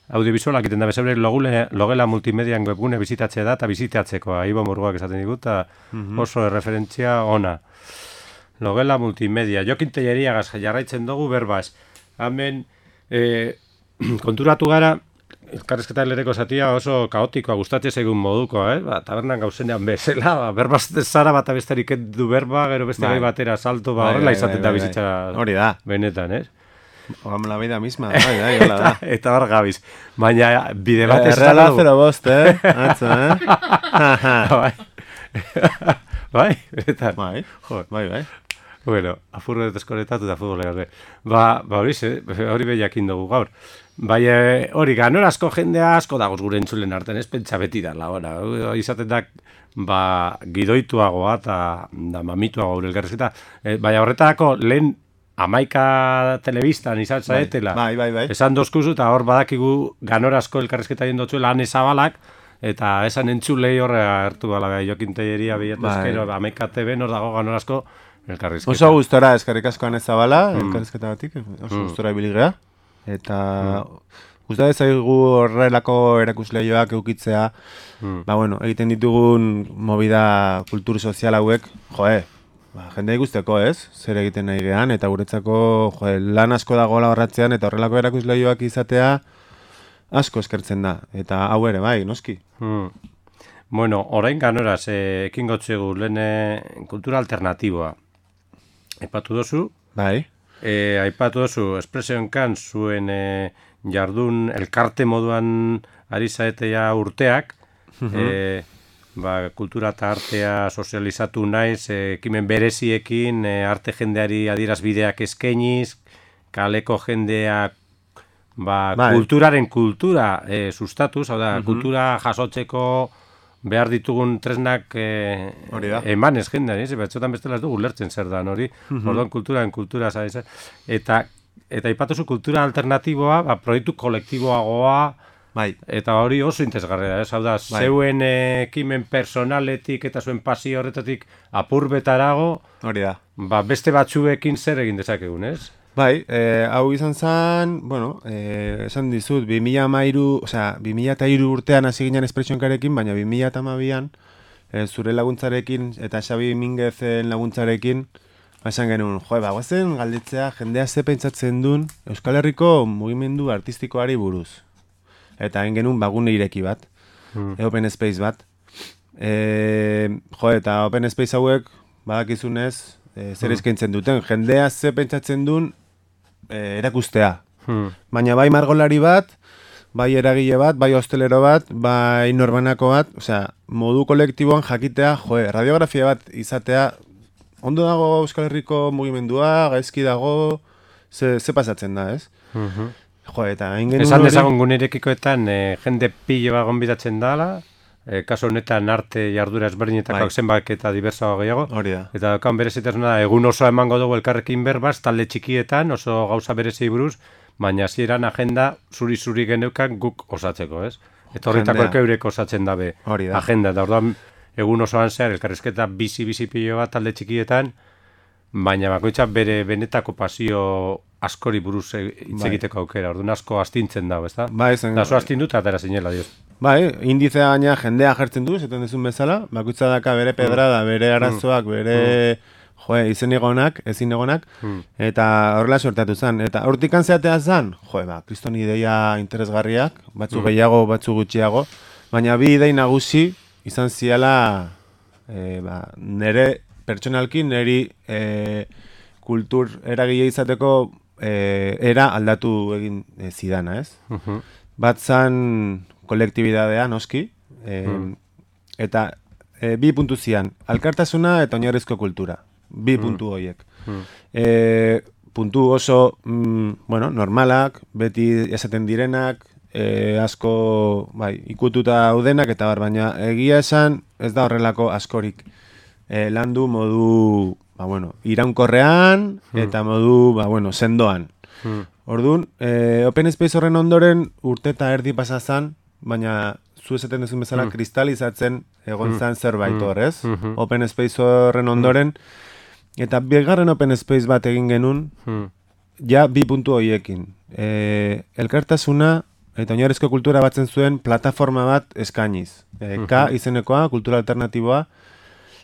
audiovisualak egiten da bezebre logela multimedian webgune bizitatzea da eta bizitatzeko Ibo Murguak esaten digut eta mm-hmm. oso referentzia ona. Logela multimedia. Jokin Telleriagaz jarraitzen dugu berbaz. Hemen e, konturatu gara elkarrizketa lereko zatia oso kaotikoa, gustatzen zaigun modukoa, eh? Ba, tabernan gauzenean bezala, ba, berbaz zara bat abesterik du berba, gero beste bai batera salto, ba, horrela izaten da bizitza hori da. Benetan, ez? Como la vida misma, bai, bai, hola da. Eta hor gabiz. Baina bide bat ez Erreala zero bost, eh? Atzo, eh? Bai. Bai, benetan. Bai, Jo. bai, bai. Bueno, afurro dut eskoretatu eta futbole gabe. Ba, ba hori ze, hori behiakin dugu gaur. Bai, hori, ganorazko jendea asko dagoz gure entzulen artean, ez pentsa beti da, laura. Izaten da, ba, gidoituagoa eta da mamituagoa gure elkarrizketa. E, baina horretarako lehen Amaika telebistan izan zaetela. Bai, bai, bai. Esan dozkuzu eta hor badakigu ganorazko elkarrizketa jendotzuela ane zabalak, eta esan entzulei horre hartu bala bai, Jokin Telleria bilatu bai. ezkero, Amaika T V nor dago ganorazko elkarrizketa. Oso gustora eskarrik asko ane zabala, Mm. elkarrizketa batik, oso Mm. gustora ibiligea. Eta gusta ezaigu horrelako erakusleioak eukitzea, Mm. ba bueno, egiten ditugun movida kultur sozial hauek, joe, ba, jendea ikusteko, ez? Zer egiten nahi gehan, eta guretzako jo, lan asko dagoela horratzean, eta horrelako erakusleioak izatea asko eskertzen da. Eta hau ere, bai, noski. Hmm. Bueno, orain ganoraz, eh, ekin gotzegu lehen eh, kultura alternatiboa. Aipatu dozu, Bai, eh, aipatu dozu, espresioen kan zuen eh, jardun elkarte moduan ari zaetea urteak, eh, ba, kultura eta artea sozializatu naiz, eh, ekimen bereziekin, eh, arte jendeari adierazbideak eskainiz, kaleko jendeak ba, Bai. kulturaren kultura eh, sustatuz, hau da, kultura jasotzeko behar ditugun tresnak eh, Hori da. emanez jendean, ez? Batzotan bestela ez dugu lertzen zer dan hori, orduan kulturaren kultura, zaiz, eta eta aipatuzu kultura alternatiboa, ba, proiektu kolektiboagoa, bai, eta hori oso interesgarria da, ez? Hau da, Bai. zeuen eh, ekimen personaletik eta zuen pasio horretatik apurbetarago, hori da. ba, beste batzuekin zer egin dezakegun, ez? Bai, e, hau izan zen, bueno, e, esan dizut, bi mila hamairu, osea, bi mila hiru urtean hasi ginen espresionkarekin, baina bi mila hamabian e, zure laguntzarekin eta Xabi Mingezen laguntzarekin, esan genuen, joe, bagoazen galditzea jendea ze pentsatzen duen Euskal Herriko mugimendu artistikoari buruz. Eta egin genuen bagune ireki bat, hmm. e, open space bat. E, jo, eta open space hauek, badakizunez, e, zer hmm. eskaintzen duten. Jendea ze pentsatzen duen e, erakustea. Hmm. Baina bai margolari bat, bai eragile bat, bai hostelero bat, bai norbanako bat, osea, modu kolektiboan jakitea, jo, radiografia bat izatea, ondo dago Euskal Herriko mugimendua, gaizki dago, ze, ze pasatzen da, ez? Hmm. Jo, eta egin genuen esan dezagun gunerekikoetan e, jende pilo bat gonbidatzen dala, e, kasu honetan arte jardura ezberdinetako zenbak eta diversoa gehiago. Hori da. Eta daukan berezitasuna egun oso emango dugu elkarrekin berbaz, talde txikietan, oso gauza berezi buruz, baina hasieran agenda zuri-zuri geneukan guk osatzeko, ez? Eta horretako eurek osatzen dabe agenda. Eta orduan egun osoan zehar elkarrizketa bizi-bizi pilo bat talde txikietan, baina bakoitza bere benetako pasio askori buruz hitz egiteko aukera, orduan asko astintzen dago, ezta? Bai, zen... Da, oso astinduta atera zinela, dioz. Bai, indizea gaina jendea jartzen du, zeten dezun bezala, bakoitza daka bere pedrada, bere arazoak, bere joe, izen egonak, ezin egonak, eta horrela sortatu zen. Eta hortik antzeatea zen, joe, ba, kriston ideia interesgarriak, batzu gehiago, batzu gutxiago, baina bi idei nagusi izan ziala e, ba, nere pertsonalki, neri e, kultur eragile izateko e, era aldatu egin e, zidana, ez? Uh-huh. Bat zan kolektibidadea, noski, e, uh-huh. eta e, bi puntu zian, alkartasuna eta oinarrizko kultura, bi uh-huh. puntu horiek. Uh-huh. E, puntu oso, mm, bueno, normalak, beti esaten direnak, e, asko bai, ikututa daudenak, eta bar, baina egia esan ez da horrelako askorik e, landu modu... Ba, bueno, iraunkorrean eta modu, ba, bueno, sendoan. Hmm. Orduan, e, Open Space horren ondoren urte eta erdi pasazan, baina zu esaten duzun bezala hmm. kristalizatzen egon zan zerbait horrez. Hmm. Open Space horren ondoren, eta bigarren Open Space bat egin genuen, hmm. ja bi puntu horiekin. E, elkartasuna eta oinarrizko kultura batzen zuen plataforma bat eskainiz. E, K izenekoa, kultura alternatiboa,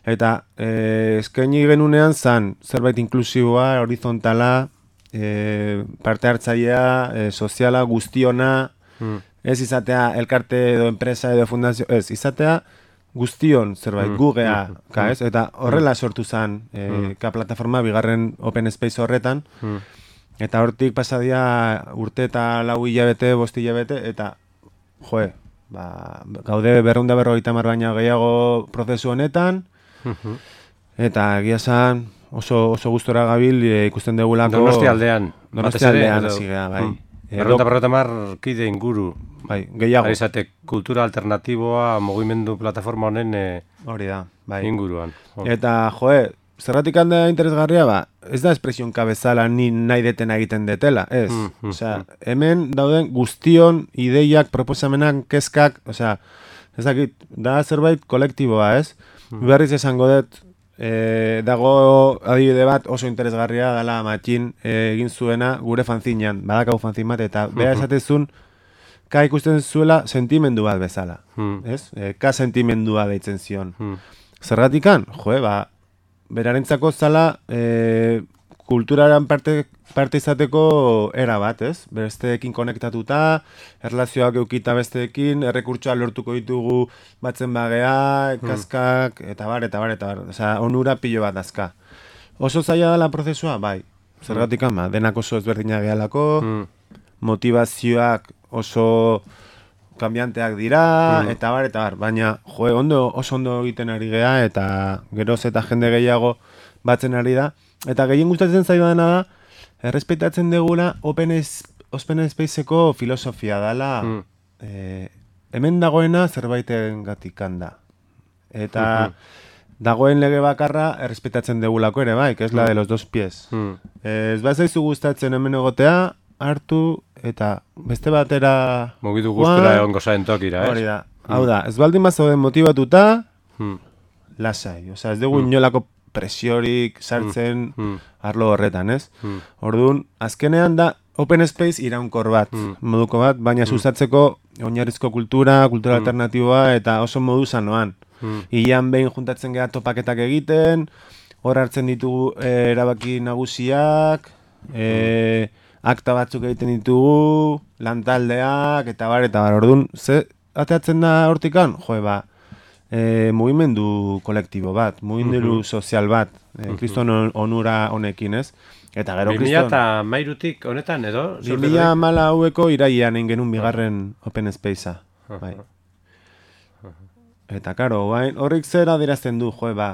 eta eh, eskaini genunean zan zerbait inklusiboa, horizontala, eh, parte hartzailea, eh, soziala, guztiona, mm. ez izatea elkarte edo enpresa edo fundazio, ez izatea guztion zerbait, mm. gugea, mm. ka, ez? Eta horrela sortu zan eh, mm. ka plataforma bigarren Open Space horretan, mm. eta hortik pasadia urte eta lau hilabete, bost hilabete, eta joe, ba, gaude berrehun eta berrogeita hamar baina gehiago prozesu honetan, Uh-huh. eta egia esan oso, oso gustora gabil e, ikusten degulako Donosti aldean Donosti aldean zigea, bai mm. Berrota berrota mar kide inguru bai, gehiago Aizate, kultura alternatiboa mugimendu plataforma honen e, hori da, bai inguruan oh. Eta joe, zerratik handa interesgarria ba, ez da espresion kabezala ni nahi detena egiten detela, ez mm, mm, osea, mm. hemen dauden guztion ideiak, proposamenak, kezkak, osea, ez dakit, da zerbait kolektiboa, ez? Berriz esango dut, e, dago adibide bat oso interesgarria dela Matxin e, egin zuena gure fanzinean, badakau fanzin bat, eta beha esatezun, ka ikusten zuela sentimendu bat bezala, ez? E, ka sentimendua deitzen zion. Zergatikan, joe, ba, berarentzako zala e, kulturaren parte, parte izateko era bat, ez? Besteekin konektatuta, erlazioak eukita besteekin, errekurtsoa lortuko ditugu batzen bagea, kaskak, eta bar, eta bar, eta bar. Osea, onura pilo bat azka. Oso zaila dela prozesua, bai. Zergatik ama, denak oso ezberdina gehalako, mm. motivazioak oso kambianteak dira, mm. eta bar, eta bar. Baina, joe, ondo, oso ondo egiten ari gea, eta geroz eta jende gehiago batzen ari da. Eta gehien gustatzen zaidana da, errespetatzen degula Open, Open Spaceko filosofia dela, mm. e, hemen dagoena zerbaiten gatik handa. Eta mm-hmm. dagoen lege bakarra errespetatzen degulako ere bai, que es la de los dos pies. Mm. E, ez bat zaizu gustatzen hemen egotea, hartu, eta beste batera... Mugitu guztura egon gozaen tokira, ez? Hori da. Mm. Hau da, ez baldin bat zauden motibatuta, mm. lasai. Osea, ez dugu mm. inolako presiorik sartzen mm. arlo horretan, ez? Mm. Orduan, azkenean da open space iraunkor bat, Mm. moduko bat, baina sustatzeko oinarrizko kultura, kultura Mm. alternatiboa eta oso modu sanoan. Mm. Ilan behin juntatzen geha topaketak egiten, hor hartzen ditugu e, erabaki nagusiak, e, akta batzuk egiten ditugu, lantaldeak, eta bar, eta bar, orduan, ze ateatzen da hortikan? Jo, ba, e, mugimendu kolektibo bat, mugimendu Mhm. sozial bat, e, kriston onura honekin, ez? Eta gero bi mila kriston... eta mairutik honetan, edo? bi mila hamala haueko iraian egin genuen bigarren open spacea. Bai. Eta, karo, bain, horrik zera dirazten du, jo, ba,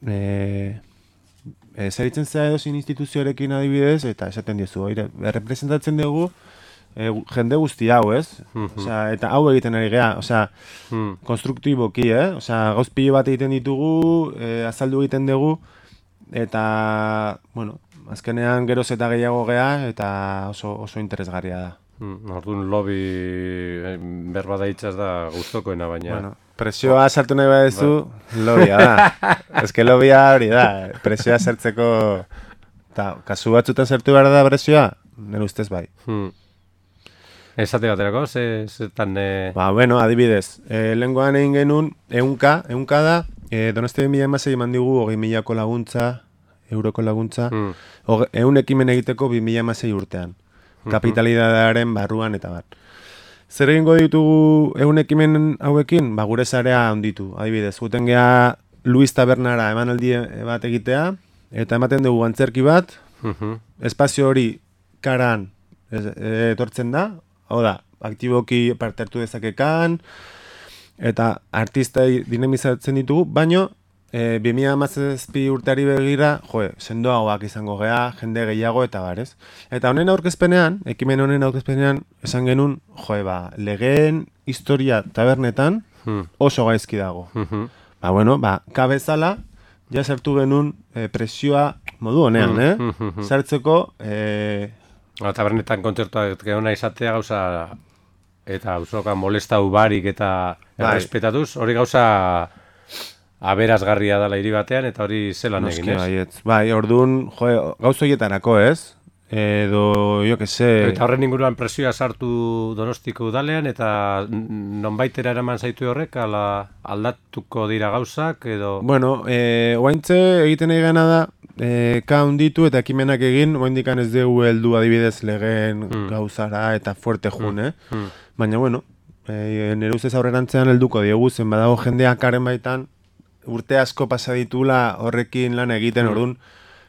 e, e, zeritzen zera edozin instituzioarekin adibidez, eta esaten diozu, oire, representatzen dugu e, jende guzti hau, ez? Osea, eta hau egiten ari geha, osea, Mm. konstruktiboki, eh? Osea, gauz pilo bat egiten ditugu, e, azaldu egiten dugu, eta, bueno, azkenean geroz eta gehiago geha, eta oso, oso interesgarria da. Mm, Orduan lobby eh, berba da hitzaz da gustokoena, baina... Bueno, presioa sartu nahi badezu, lobia da. Ez que lobia hori da, presioa sartzeko... Ta, kasu batzutan sartu behar da presioa, nire ustez bai. Hmm. Esate baterako, ze, zetan... Eh... Ba, bueno, adibidez, e, lengoan egin genuen, eunka, eunka da, e, Donostia bi mila hamasei eman digu hogei milako laguntza, euroko laguntza, Hmm. hoge, eun ekimen egiteko bi mila hamasei urtean. Kapitalitatearen barruan eta bat. Zer egingo ditugu eun ekimen hauekin? Ba, gure sarea handitu, adibidez. Guten geha Luis Tabernara emanaldi bat egitea, eta ematen dugu antzerki bat, Mhm. espazio hori karan ez, e, etortzen da, hau da, aktiboki parte hartu dezakekan, eta artistai dinamizatzen ditugu, baino, e, bi mila hamazazpi urteari begira, joe, sendoagoak izango gea, jende gehiago eta barez. Eta honen aurkezpenean, ekimen honen aurkezpenean, esan genuen, joe, ba, legeen historia tabernetan Hmm. oso gaizki dago. Mhm. Ba, bueno, ba, kabezala, ja sartu genuen e, presioa modu honean, eh? Mhm. Sartzeko, e, Ba, tabernetan kontzertuak geona izatea gauza eta auzoka molestau barik eta Bai. errespetatuz, hori gauza aberazgarria dela hiri batean eta hori zelan noski egin, ez? baietz. Bai, orduan, jo, gauz horietarako, ez? Edo, jo que se... Eta horren inguruan presioa sartu Donostiko udalean eta nonbaitera eraman zaitu horrek ala aldatuko dira gauzak edo... Bueno, e, oaintze egiten egana da, e, ka hunditu eta ekimenak egin, oaindikan ez dugu heldu adibidez legeen Hmm. gauzara eta fuerte jun, eh? Hmm. Baina, bueno, e, nire ustez aurrerantzean helduko diegu, zen badago jendeak karen baitan, urte asko pasa ditula horrekin lan egiten, orduan,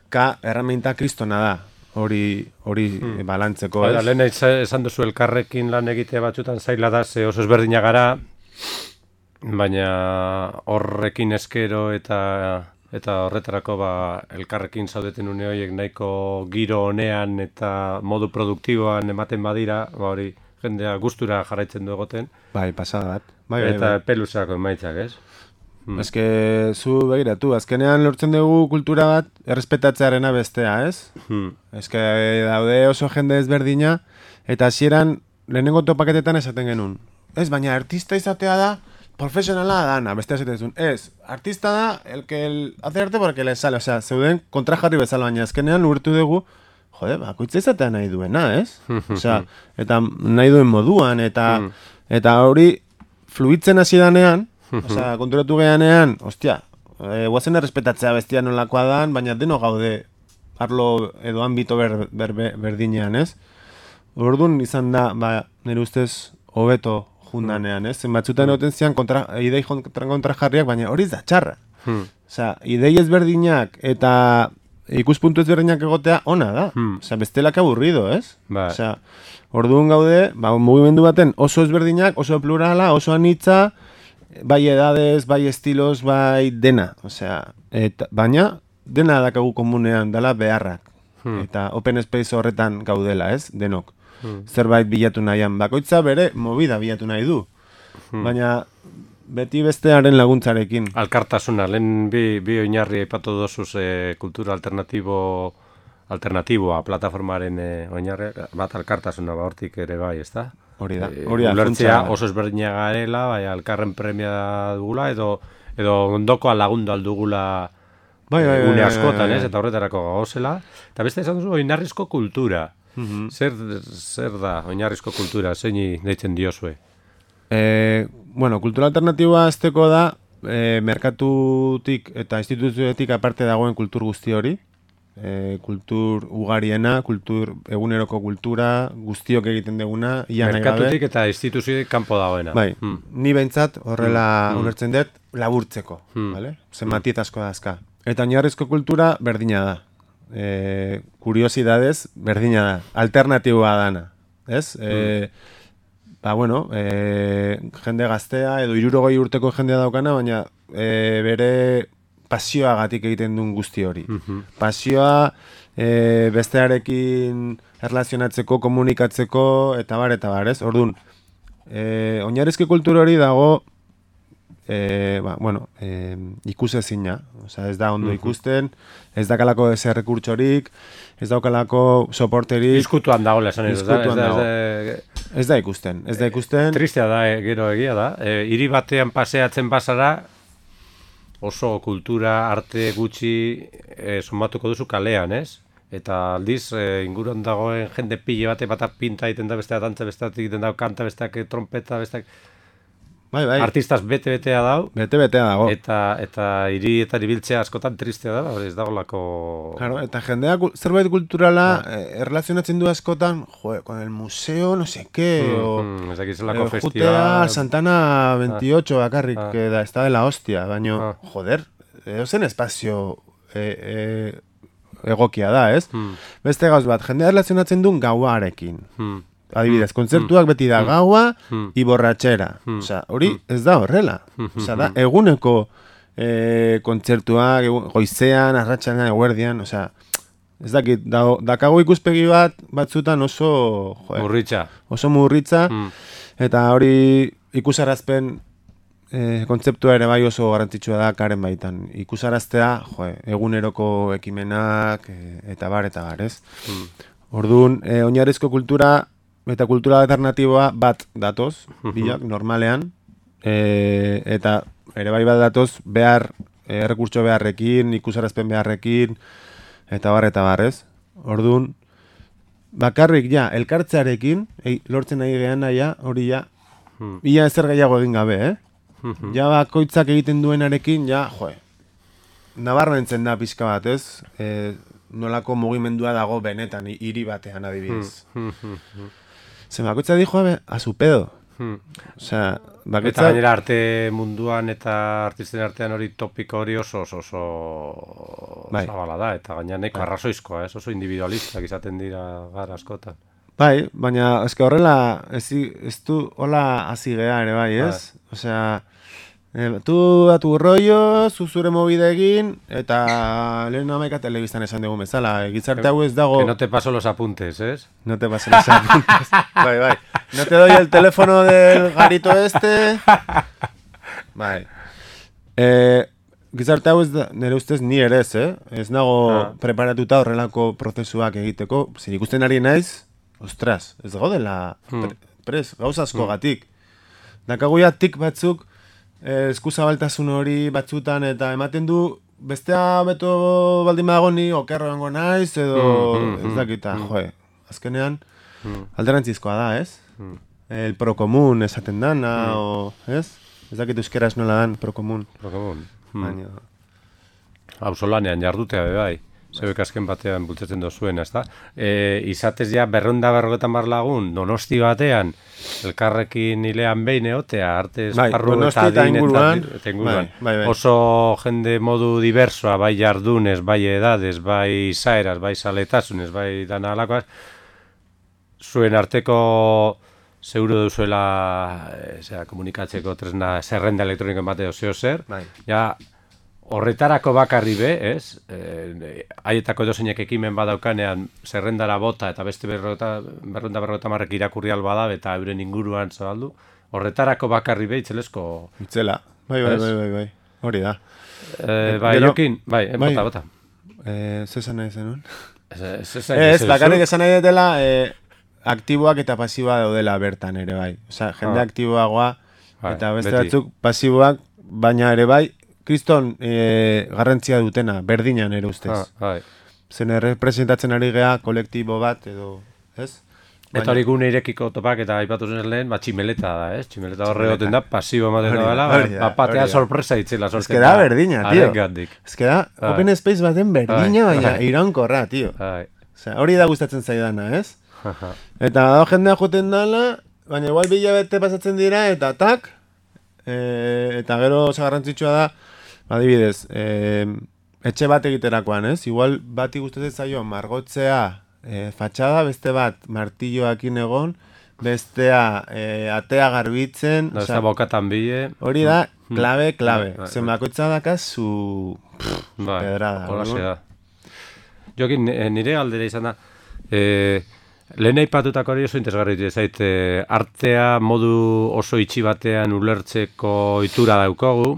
ka erraminta kristona da, hori hori Hmm. balantzeko, Bai, da, ez? lehen eitz- esan duzu elkarrekin lan egitea batzutan zaila da, ze oso ezberdina gara, baina horrekin eskero eta eta horretarako ba, elkarrekin zaudeten une horiek nahiko giro honean eta modu produktiboan ematen badira, ba hori jendea gustura jarraitzen du egoten, Bai, pasada bat. Bai, bai, eta bai. pelusako emaitzak, ez? Hmm. Ez que zu begiratu, azkenean lortzen dugu kultura bat errespetatzearena bestea, ez? Hmm. Ez que daude oso jende ezberdina, eta hasieran lehenengo topaketetan esaten genuen. Ez, baina artista izatea da, profesionala dana, bestea esaten zuen. Ez, artista da, el que el hace arte porque le sale, osea, zeuden kontrajarri bezala, baina azkenean urtu dugu, jode, bakoitza izatea nahi duena, ez? Osea, eta nahi duen moduan, eta Hmm. eta hori fluitzen hasi danean, osea, konturatu geanean, ostia, e, guazen errespetatzea bestia nolakoa dan, baina deno gaude arlo edo ambito ber, ber, ber, berdinean, ez? Orduan izan da, ba, nire ustez, hobeto jundanean, ez? Zenbatzutan egoten zian kontra, idei kontra, kontra jarriak, baina hori ez da txarra. Hmm. Osea, idei ezberdinak eta ikuspuntu ezberdinak egotea ona da. Hmm. Osea, bestelak aburrido, ez? Bai. Osea, orduan gaude, ba, mugimendu baten oso ezberdinak, oso plurala, oso anitza, bai edades, bai estilos, bai dena. Osea, eta, baina dena dakagu komunean dela beharrak. Hmm. Eta open space horretan gaudela, ez? Denok. Hmm. Zerbait bilatu nahian. Bakoitza bere movida bilatu nahi du. Hmm. Baina beti bestearen laguntzarekin. Alkartasuna, lehen bi, bi oinarri aipatu dozuz e, kultura alternatibo alternatiboa plataformaren e, oinarriak, bat alkartasuna ba hortik ere bai, ezta? Hori da. E, Hori da. ulertzea funtsa- oso ezberdina garela, bai, alkarren premia dugula, edo edo ondokoa lagundu aldugula bai, bai, une bai, askotan, bai, ez, bai. eta horretarako gauzela. Eta beste esan duzu, oinarrizko kultura. Mhm. Zer, zer da oinarrizko kultura, zeini deitzen diozue? E, bueno, kultura alternatiboa azteko da, e, merkatutik eta instituzioetik aparte dagoen kultur guzti hori. E, kultur ugariena, kultur eguneroko kultura, guztiok egiten duguna, ia nahi gabe. Merkatutik eta instituzioek kanpo dagoena. Bai, Hmm. ni behintzat horrela Hmm. ulertzen dut laburtzeko, Hmm. vale? Zenbatiet asko dazka. Eta oinarrizko kultura berdina da. E, kuriosidadez berdina da, alternatiboa dana, ez? E, ba, bueno, e, jende gaztea edo hirurogei urteko jendea daukana, baina e, bere pasioagatik egiten duen guzti hori. Mhm. Pasioa e, bestearekin erlazionatzeko, komunikatzeko, eta bar, eta bar, ez? Orduan, e, oinarrizko kultura hori dago E, ba, bueno, e, ikusezina, osea, ez da ondo ikusten, ez dakalako ez errekurtsorik, ez daukalako soporterik, Izkutuan dagoela esan edo, Izkutuan ez da, dago. ez da, ez da ikusten, ez da ikusten, tristea da, eh, gero egia da. E, hiri batean paseatzen bazara, oso kultura, arte gutxi e, somatuko duzu kalean, ez? Eta aldiz, e, inguruan dagoen jende pile bate bata pinta egiten da, bestea dantza, besteak egiten da, kanta, besteak trompeta, besteak... bai, bai, Artistaz bete-betea dau, bete-betea dago. eta eta hirietan ibiltzea askotan tristea da, hori ez dagolako... Claro, eta jendeak kul- zerbait kulturala eh, erlazionatzen du askotan, jo, con el museo, no sé qué, o... Mm, ez dakiz Eh, zelako Jutea festival... Santana veintiocho bakarrik, Ah. que da, está de la hostia, baino, Ah. joder, edozen espazio eh, eh, egokia da, ez? Mm, Beste gauz bat, jendea erlazionatzen duen gauarekin. mm, Adibidez, kontzertuak beti da gaua Mm. i borratxera. Mm. Osea, hori ez da horrela. Mm. Osea, da eguneko eh, kontzertuak, egun, goizean, arratsaldean, eguerdian, osea, ez dakit, da, dakago ikuspegi bat batzutan oso, joder, Murritza. oso murritza, Mm. eta hori ikusarazpen eh, kontzeptua ere bai oso garrantzitsua da karen baitan. Ikusaraztea, joe, eguneroko ekimenak eh, eta bar eta bar, ez? Mm. Orduan, eh, oinarrizko kultura eta kultura alternatiboa bat datoz, bilak, normalean, eh, eta ere bai bat datoz behar, eh, errekurtso beharrekin, ikusarazpen beharrekin, eta bar eta bar, ez? Orduan, bakarrik ja, elkartzearekin, ei, lortzen nahi gehan ja, hori ja, Mm. ia ezer gehiago egin gabe, eh? Mhm. Ja bakoitzak egiten duenarekin, ja, joe, nabarmentzen da pixka bat, ez? E, nolako mugimendua dago benetan, hi- hiri batean adibidez. Mm, mm, mm. Ze bakoitza dijo, abe, a su pedo. Mm. Osea, Eta bakoitza... gainera arte munduan eta artisten artean hori topiko hori oso oso, oso Bai. zabala da, eta gaina neko arrazoizkoa, ez? Oso individualistak izaten dira gara askotan. Bai, baina eske horrela ez, ez du hola hasi gea ere bai, ez? Osea, eh, tu a tu rollo, zu zure movida egin, eta lehen hamaika telebistan esan dugu bezala, gizarte hau ez dago... Que no te paso los apuntes, ¿es? No te pasen los apuntes. Bai, bai. No te doy el teléfono del garito este. Bai. Eh, gizarte hau ez da, nire ustez ni ere ez, eh? Ez nago Ah. preparatuta horrelako prozesuak egiteko. Zer ikusten ari naiz, ostras, ez gaudela pre, pres, gauza asko gatik. Dakagu ja tik batzuk, eh, eskuzabaltasun hori batzutan, eta ematen du, bestea beto baldin badago ni okerro egongo naiz, edo Mm, mm, ez dakita, joe. Azkenean, Mm. alderantzizkoa da, ez? Mm. El prokomun esaten dana, o, ez? Ez dakit euskeraz nola dan prokomun. Prokomun. Mm. Baina, Auzolanean jardutea be bai. Zebek azken batean bultzatzen dozuen, ezta? E, izatez ja berrunda berrogetan bar lagun, Donosti batean, elkarrekin hilean behin egotea, arte Bai, esparru Donosti eta eta adin inguruan, eta inguruan. bai, bai, bai. Oso jende modu diversoa, bai jardunez, bai edades, bai izaeraz, bai saletasunez, bai dana alakoaz, zuen arteko zeuro duzuela e, zera, komunikatzeko tresna zerrenda elektronikoen bateo zeo zer, bai. ja, horretarako bakarri be, ez? Eh, haietako edozeinek ekimen badaukanean zerrendara bota eta beste berrota, berrunda berrota marrek irakurri alba da eta euren inguruan zabaldu. Horretarako bakarri be, itzelesko... Itzela. Bai, bai, Ez? bai, bai, bai. Hori da. Eh, bai, Gero- jokin, bai, eh, bai. bota, bota. Eh, zesan nahi zenun? Ez, ez, ez, Ez, bakarrik esan nahi dela, eh, aktiboak eta pasiboa daudela bertan ere bai. Osea, jende Ah. aktiboagoa Bai, eta beste beti. batzuk pasiboak, baina ere bai, kriston e, garrantzia dutena, berdinan ere ustez. Ah, bai. Zen representatzen ari gea kolektibo bat edo, ez? Eta hori gune irekiko topak eta aipatu zen lehen, ba, tximeleta da, ez? Tximeleta horre goten da, pasibo ematen da bela, ba, patea sorpresa itzela sortzen da. Ez que da berdina, tio. Arengandik. Ez que da, open space baten berdina, baina iraunkorra, tio. Osea, hori da gustatzen zaidana, ez? Eta badago jendea joten dala, baina igual bila bete pasatzen dira, eta tak, e, eta gero oso garrantzitsua da, adibidez, e, etxe bat egiterakoan, ez? Igual bati gustatzen zaio margotzea e, fatxada, beste bat martilloakin egon, bestea e, atea garbitzen. Da, ez da bokatan bile. Hori da, klabe, klabe. Zen bakoitza dakazu pedrada. Hola da. Jokin, nire aldera izan da, e, lehen aipatutako hori oso interesgarri zait, e, artea modu oso itxi batean ulertzeko itura daukagu,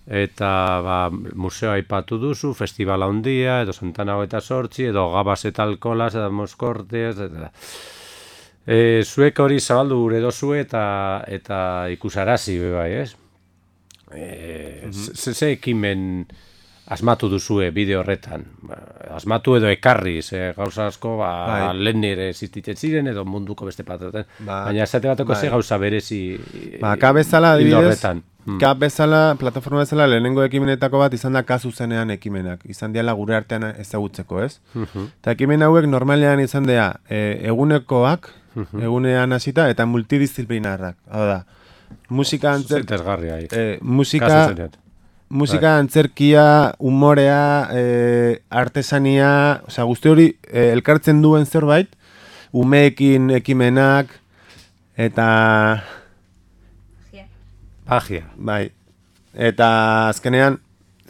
eta ba, museo aipatu duzu, festivala handia, edo Santana hogeita zortzi, edo Gabas eta Alkolas, edo Moskortez, eta... E, zuek hori zabaldu gure dozu eta, eta ikusarazi, bai, ez? E, mm-hmm. Ze ekimen asmatu duzue bideo horretan? Asmatu edo ekarri, ze gauza asko, ba, bai. Lehen nire existitzen ziren, edo munduko beste patetan. Ba, baina esate bateko bai. Ze gauza berezi ba, ka bezala, adibidez, ka bezala, plataforma bezala, lehenengo ekimenetako bat izan da kasu zenean ekimenak. Izan diala gure artean ezagutzeko, ez? Uh-huh. Eta ekimen hauek normalean izan dea e, egunekoak, uh-huh. egunean hasita eta multidisciplinarrak. Hau da, musika antzer... E, musika... Musika, bai. Antzerkia, umorea, e, artesania, osea, guzti hori e, elkartzen duen zerbait, umeekin ekimenak, eta... Magia. Bai. Eta azkenean,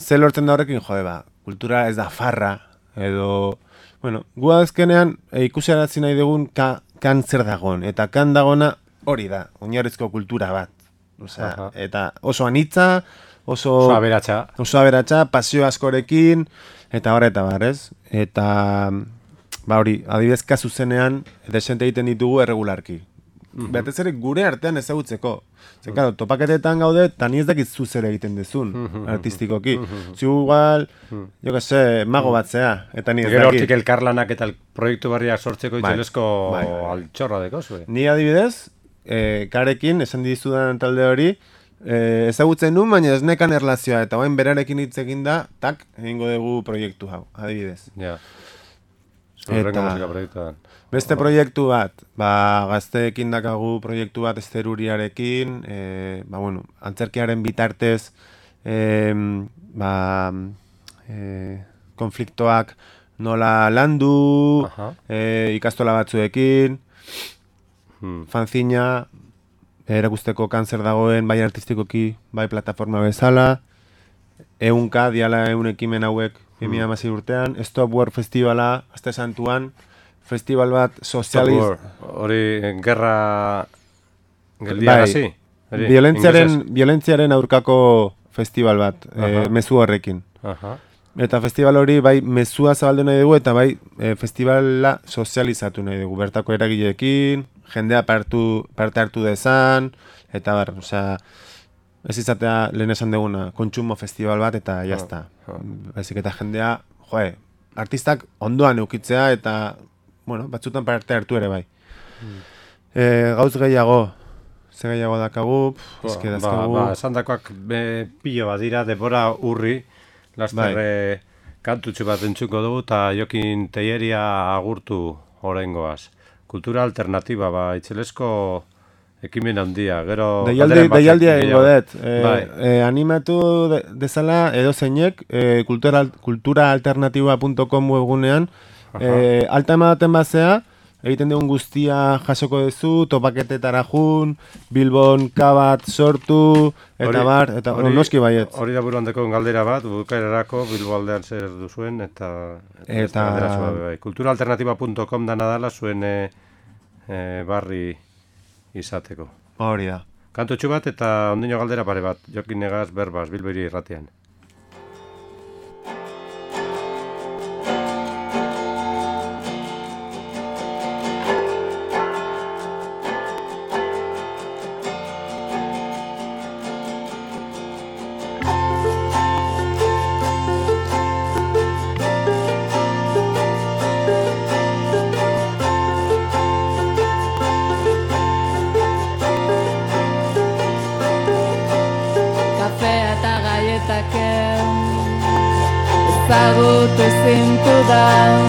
ze lortzen da horrekin, jode ba, kultura ez da farra, edo... Bueno, gu azkenean e, ikusiarazi nahi dugun ka, kan zer dagoen, eta kan dagona hori da, oinarrizko kultura bat. Osea, aha. Eta oso anitza, Oso, oso aberatsa. Oso aberatsa, pasio askorekin, eta horreta bar, ez? Eta, ba hori, adibidez kasu zenean, desente egiten ditugu erregularki. Mm-hmm. Behatez ere gure artean ezagutzeko. Zer, claro, topaketetan gaude, eta ni ez dakit zu zer egiten dezun, mm-hmm. artistikoki. Mm-hmm. Zu igual, mm-hmm. jo que se, mago bat zea, eta ni ez dakit. Gero hortik elkarlanak eta el proiektu barriak sortzeko itxelezko bai, bai, bai. Altxorra deko zue. Ni adibidez, eh, karekin, esan dizudan talde hori, Eh, ezagutzen nuen, baina ez nekan erlazioa, eta bain berarekin hitz egin da, tak, egingo dugu proiektu hau, adibidez. Ja. Eta beste proiektu bat, ba, gazteekin dakagu proiektu bat esteruriarekin, e, ba, bueno, antzerkiaren bitartez, e, ba, e, konfliktoak nola landu, e, ikastola batzuekin, hmm. fanzina, erakusteko kanzer dagoen, bai artistikoki, bai plataforma bezala, eunka, diala eun ekimen hauek, bi mila hamasei urtean, Stop War Festivala, Aste Santuan, festival bat sozializ... Hori, gerra... Geldiarazi? Bai, violentziaren, violentziaren aurkako festival bat, e, mezu horrekin. Aha. Eta festival hori bai mezua zabaldu nahi dugu, eta bai e, festivala sozializatu nahi dugu, bertako eragileekin, jendea partu, parte hartu dezan, eta bar, osea, ez izatea lehen esan duguna, kontsumo festival bat, eta jazta. Oh, oh. Baizik eta jendea, joe, artistak ondoan eukitzea, eta, bueno, batzutan parte hartu ere bai. Hmm. E, gauz gehiago, ze gehiago dakagu, pff, eske dazkagu... Ba, ba, esan dakoak pilo bat dira, debora urri, lasterre bai. Kantutxu bat entzuko dugu, eta Jokin Teieria agurtu oraingoaz. Kultura alternatiba, ba, itxelesko ekimen handia, gero... Deialdia egingo dut, e, bai. e, animatu de, dezala edo zeinek, e, kultura, kultura alternatiba punto com webgunean, e, alta ematen bazea, egiten dugun guztia jasoko duzu, topaketetara jun, Bilbon kabat sortu, eta ori, bar, eta ori, noski baiet. Hori da buruan deko galdera bat, bukaerarako Bilbo aldean zer duzuen, eta... eta... eta kultura alternatiba punto com da nadala zuen e, e, barri izateko. Hori da. Kantutxu bat eta ondino galdera pare bat, Jokin Negaz berbaz, Bilbo hiri irratian. ezagutu zintudan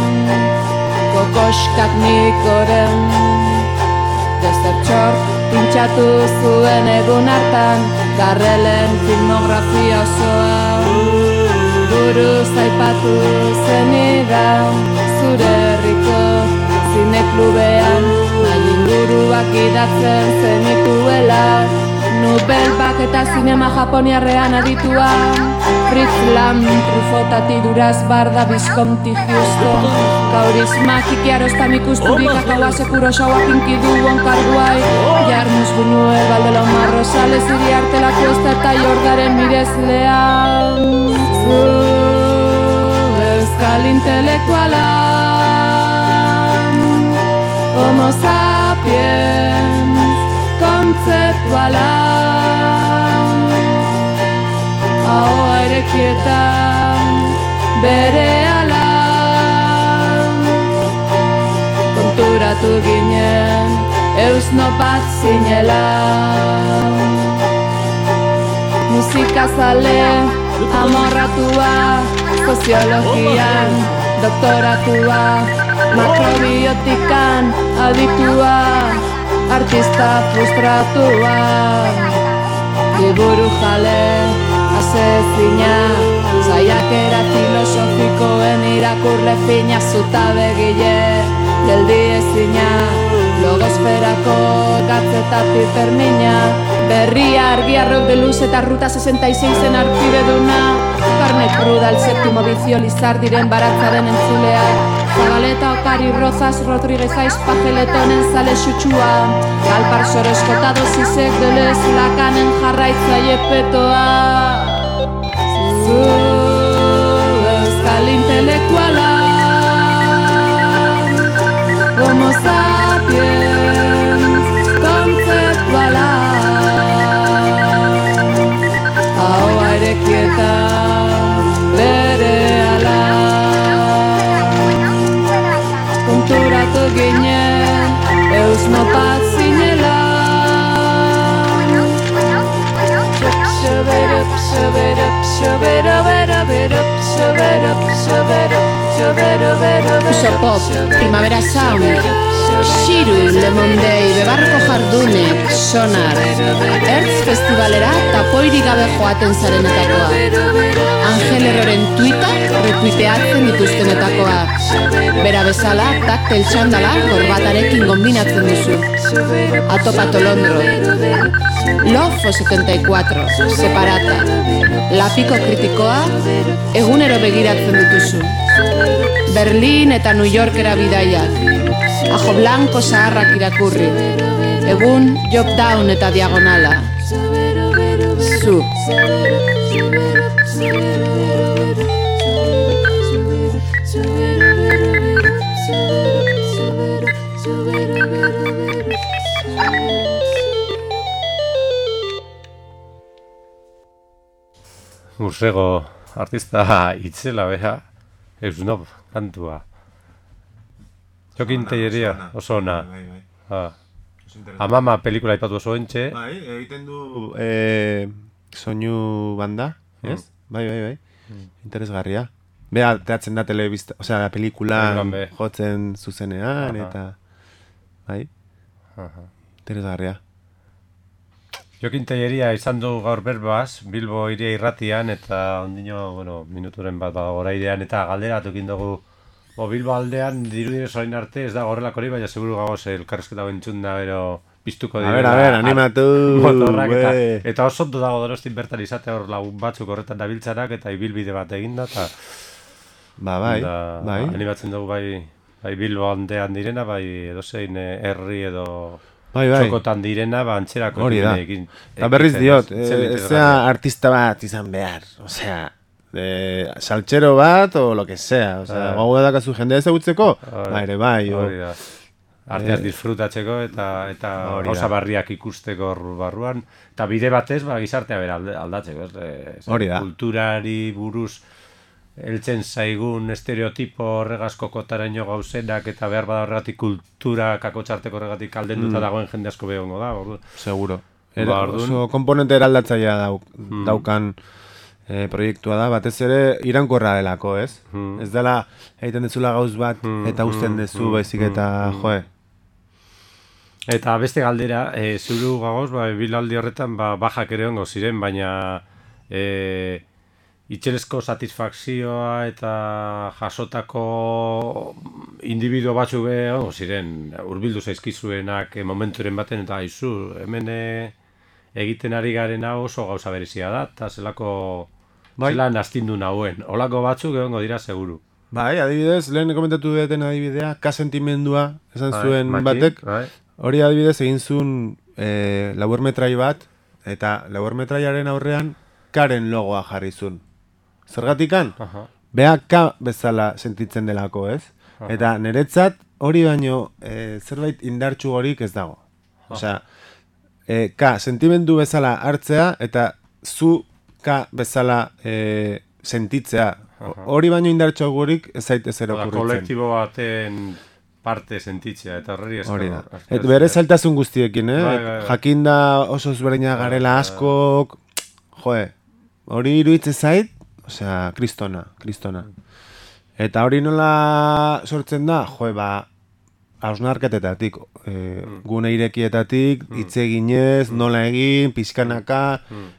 kokoskak nikoren Desertxor pintxatu zuen egun hartan Garrelen filmografia osoa Buruz aipatu zenidan Zure herriko zineklubean Nahi inguruak idatzen zenituela Nubelbak eta zinema japoniarrean aditua Fritz Lam, Trufotati, Duraz, Barda, Visconti, Houston Kaurisma, Kiki Arostam ikusturik Akaua, Sekuro, Shawa, Kinkidu, Onkar Guai Jarmus, Buñue, Valdelomar, Rosales, Iriarte, La Cuesta eta Jordaren mirezlea Zu, euskal intelektuala Homo sapiens, kontzeptuala Ahoa erekietan bere ala Konturatu ginen eusno bat zinela Musikazale amorratua Soziologian doktoratua Makrobiotikan aditua Artista frustratua Liburu jale asezina Zaiakera filosofikoen irakurle fina Zuta begile geldi ezina Logosferako gatzetatik termina Berria argiarrok de luz eta ruta sesenta y seis en arpide duna Carne cruda, el séptimo vicio, Lizardiren baratzaren entzulea Zabaleta, Okari, Rozas, Rodríguez, Aiz, Pajeletonen zale xutsua Galpar soreskotado zizek delez lakanen jarraitzaile petoa Zu, euskal intelektuala Homo sapiens, kontzeptuala Ahoa erekietan bere ala Konturatu ginen eusno bat zinela Xoberup, xoberup, xoberuberuberup Xoberup, xoberup, xoberuberuberup Usopop, Primavera Sound Xiru, Lemondei, Bebarko Jardunek, Sonar Ertz Festivalera tapoirik gabe joaten zarenetakoa Angel Erroren tuita retuiteatzen dituztenetakoa Bera bezala, taktel txandala korbatarekin kombinatzen duzu Atopato Londro Lofo setenta y cuatro, Separata Lapiko kritikoa, egunero begiratzen dituzu Berlin eta New Yorkera bidaiak Ajo Blanco zaharrak irakurri Egun Job Down eta Diagonala Zu Ursego artista itzela beha Eusnob kantua Jokin Telleria oso ona ah. Amama pelikula ipatu oso entxe Bai, egiten du eh, soinu banda, ez? Mm. Bai, bai, bai, mm. interesgarria Bea, teatzen da telebista, osea, da pelikula jotzen zuzenean Aha. Eta bai, Aha. interesgarria Jokin Telleria izan du gaur berbaz, Bilbo iria irratian eta ondino, bueno, minuturen bat goraidean eta galderatukin dugu Bo, Bilbo aldean dirudinez orain arte ez da horrelako hori, baina seguru gagoz elkarrezketa bentzun da, bero piztuko dira. A ber, a ber, animatu! Motorrak eta, eta oso ondo dago Donostin bertan izate hor lagun batzuk horretan dabiltzanak eta ibilbide bat eginda eta Ba, bai, da, bai. Animatzen dugu bai, bai Bilbo aldean direna, bai edozein herri edo bai, bai. txokotan direna, ba antzerako hori da. Eta berriz diot, ez zea artista bat izan behar, osea, de saltxero bat o lo que sea, osea, uh, gogo dakazu jendea ezagutzeko, ba ere bai, hori da. Arteaz disfrutatzeko eta eta gauza barriak ikusteko barruan, eta bide batez ba gizartea bera aldatzeko, ez? Hori da. Kulturari buruz heltzen zaigun estereotipo horregazko kotaraino gauzenak eta behar bada horregatik kultura kakotzarteko horregatik aldenduta mm. dagoen jende asko behongo da, ordu. Seguro. Era, oso komponente eraldatzailea dauk, mm. daukan e, proiektua da, batez ere irankorra delako, ez? Hmm. Ez dela egiten dezula gauz bat Hmm, eta usten hmm, dezu hmm, baizik eta, hmm, joe. Eta beste galdera, e, zuru gagoz, ba, bilaldi horretan ba, bajak ere ongo ziren, baina e, itxelezko satisfakzioa eta jasotako individuo batzuk be ongo ziren, hurbildu zaizkizuenak e, momenturen baten, eta aizu, hemen e, egiten ari garen hau oso gauza berezia da, eta zelako Bai. zelan astindu nauen, olako batzuk egongo dira seguru. Bai, adibidez, lehen komentatu duten adibidea, ka-sentimendua esan zuen Bai, batek, bai. hori adibidez egin zuen e, laburmetrai bat, eta laburmetraiaren aurrean karen logoa jarri zuen. Zergatikan? Aha. Beha ka bezala sentitzen delako, ez? Aha. Eta niretzat hori baino e, zerbait indartsu horik ez dago. Osea, e, ka sentimendu bezala hartzea eta zu ka bezala e, sentitzea. Aha. Hori baino indartsu horik ez zaitez zer Oda, okurritzen. kolektibo baten parte sentitzea, eta horreri esker. Hori da. Et bere zailtasun guztiekin, eh? Bai, bai, bai. Jakinda oso ezberdina garela askok, joe, hori iruditzen zait, osea, kristona, kristona. Eta hori nola sortzen da, joe, ba, hausnarketetatik, e, gune irekietatik, hitz eginez, nola egin, pixkanaka,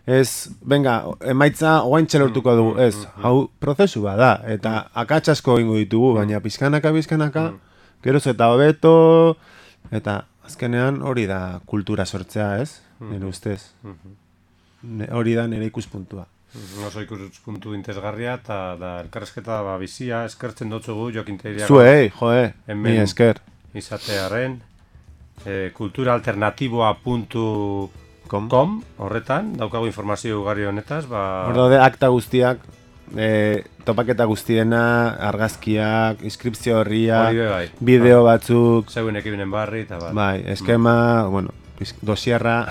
ez, venga, emaitza oaintxe lortuko dugu, ez, hau prozesu bat da, eta akats asko egingo ditugu, baina pixkanaka, pixkanaka, geroz eta hobeto, eta azkenean hori da kultura sortzea, ez? Nire ustez. Ne- Hori da nire ikuspuntua. Oso ikuspuntu interesgarria, eta da elkarrezketa ba, bizia, eskertzen dotzugu Jokinteria Zuei, joe, Hemen- mi esker. izatearen, e, kulturaalternatiboa puntu Kom. com horretan, daukagu informazio ugari honetaz, ba... Hor daude akta guztiak, e, topaketa guztiena, argazkiak, inskripzio horria, Hori be bai. bideo batzuk, Zeuen ekibenen barri, eta bat. bai, eskema, bueno, pis- dosierra,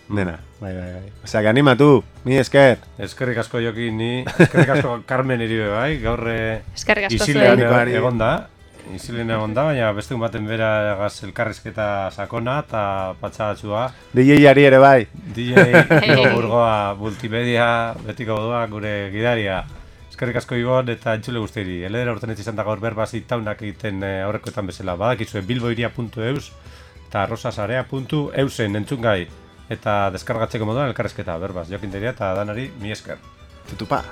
dena. Bai, bai, bai. Osea, que animatu, mi esker. Eskerrik asko Jokin, ni, eskerrik asko Carmen iribe bai, gaur eh, Eskerrik asko isilean zuei. e- egon da, isilean egon da, baina beste baten bera gaz elkarrizketa sakona eta patxagatxua. D J-ari ere bai. D J Igo Burgoa multimedia betiko doa gure gidaria. Eskerrik asko Ibon eta entzule guztieri. Eledera urten ez izan da gaur berbaz itaunak egiten eh, aurrekoetan bezala. Badakizue bilboiria puntu eus eta rosasarea puntu eusen entzungai. Eta deskargatzeko moduan elkarrezketa berbaz. Jokinteria eta danari mi esker. Tutupa.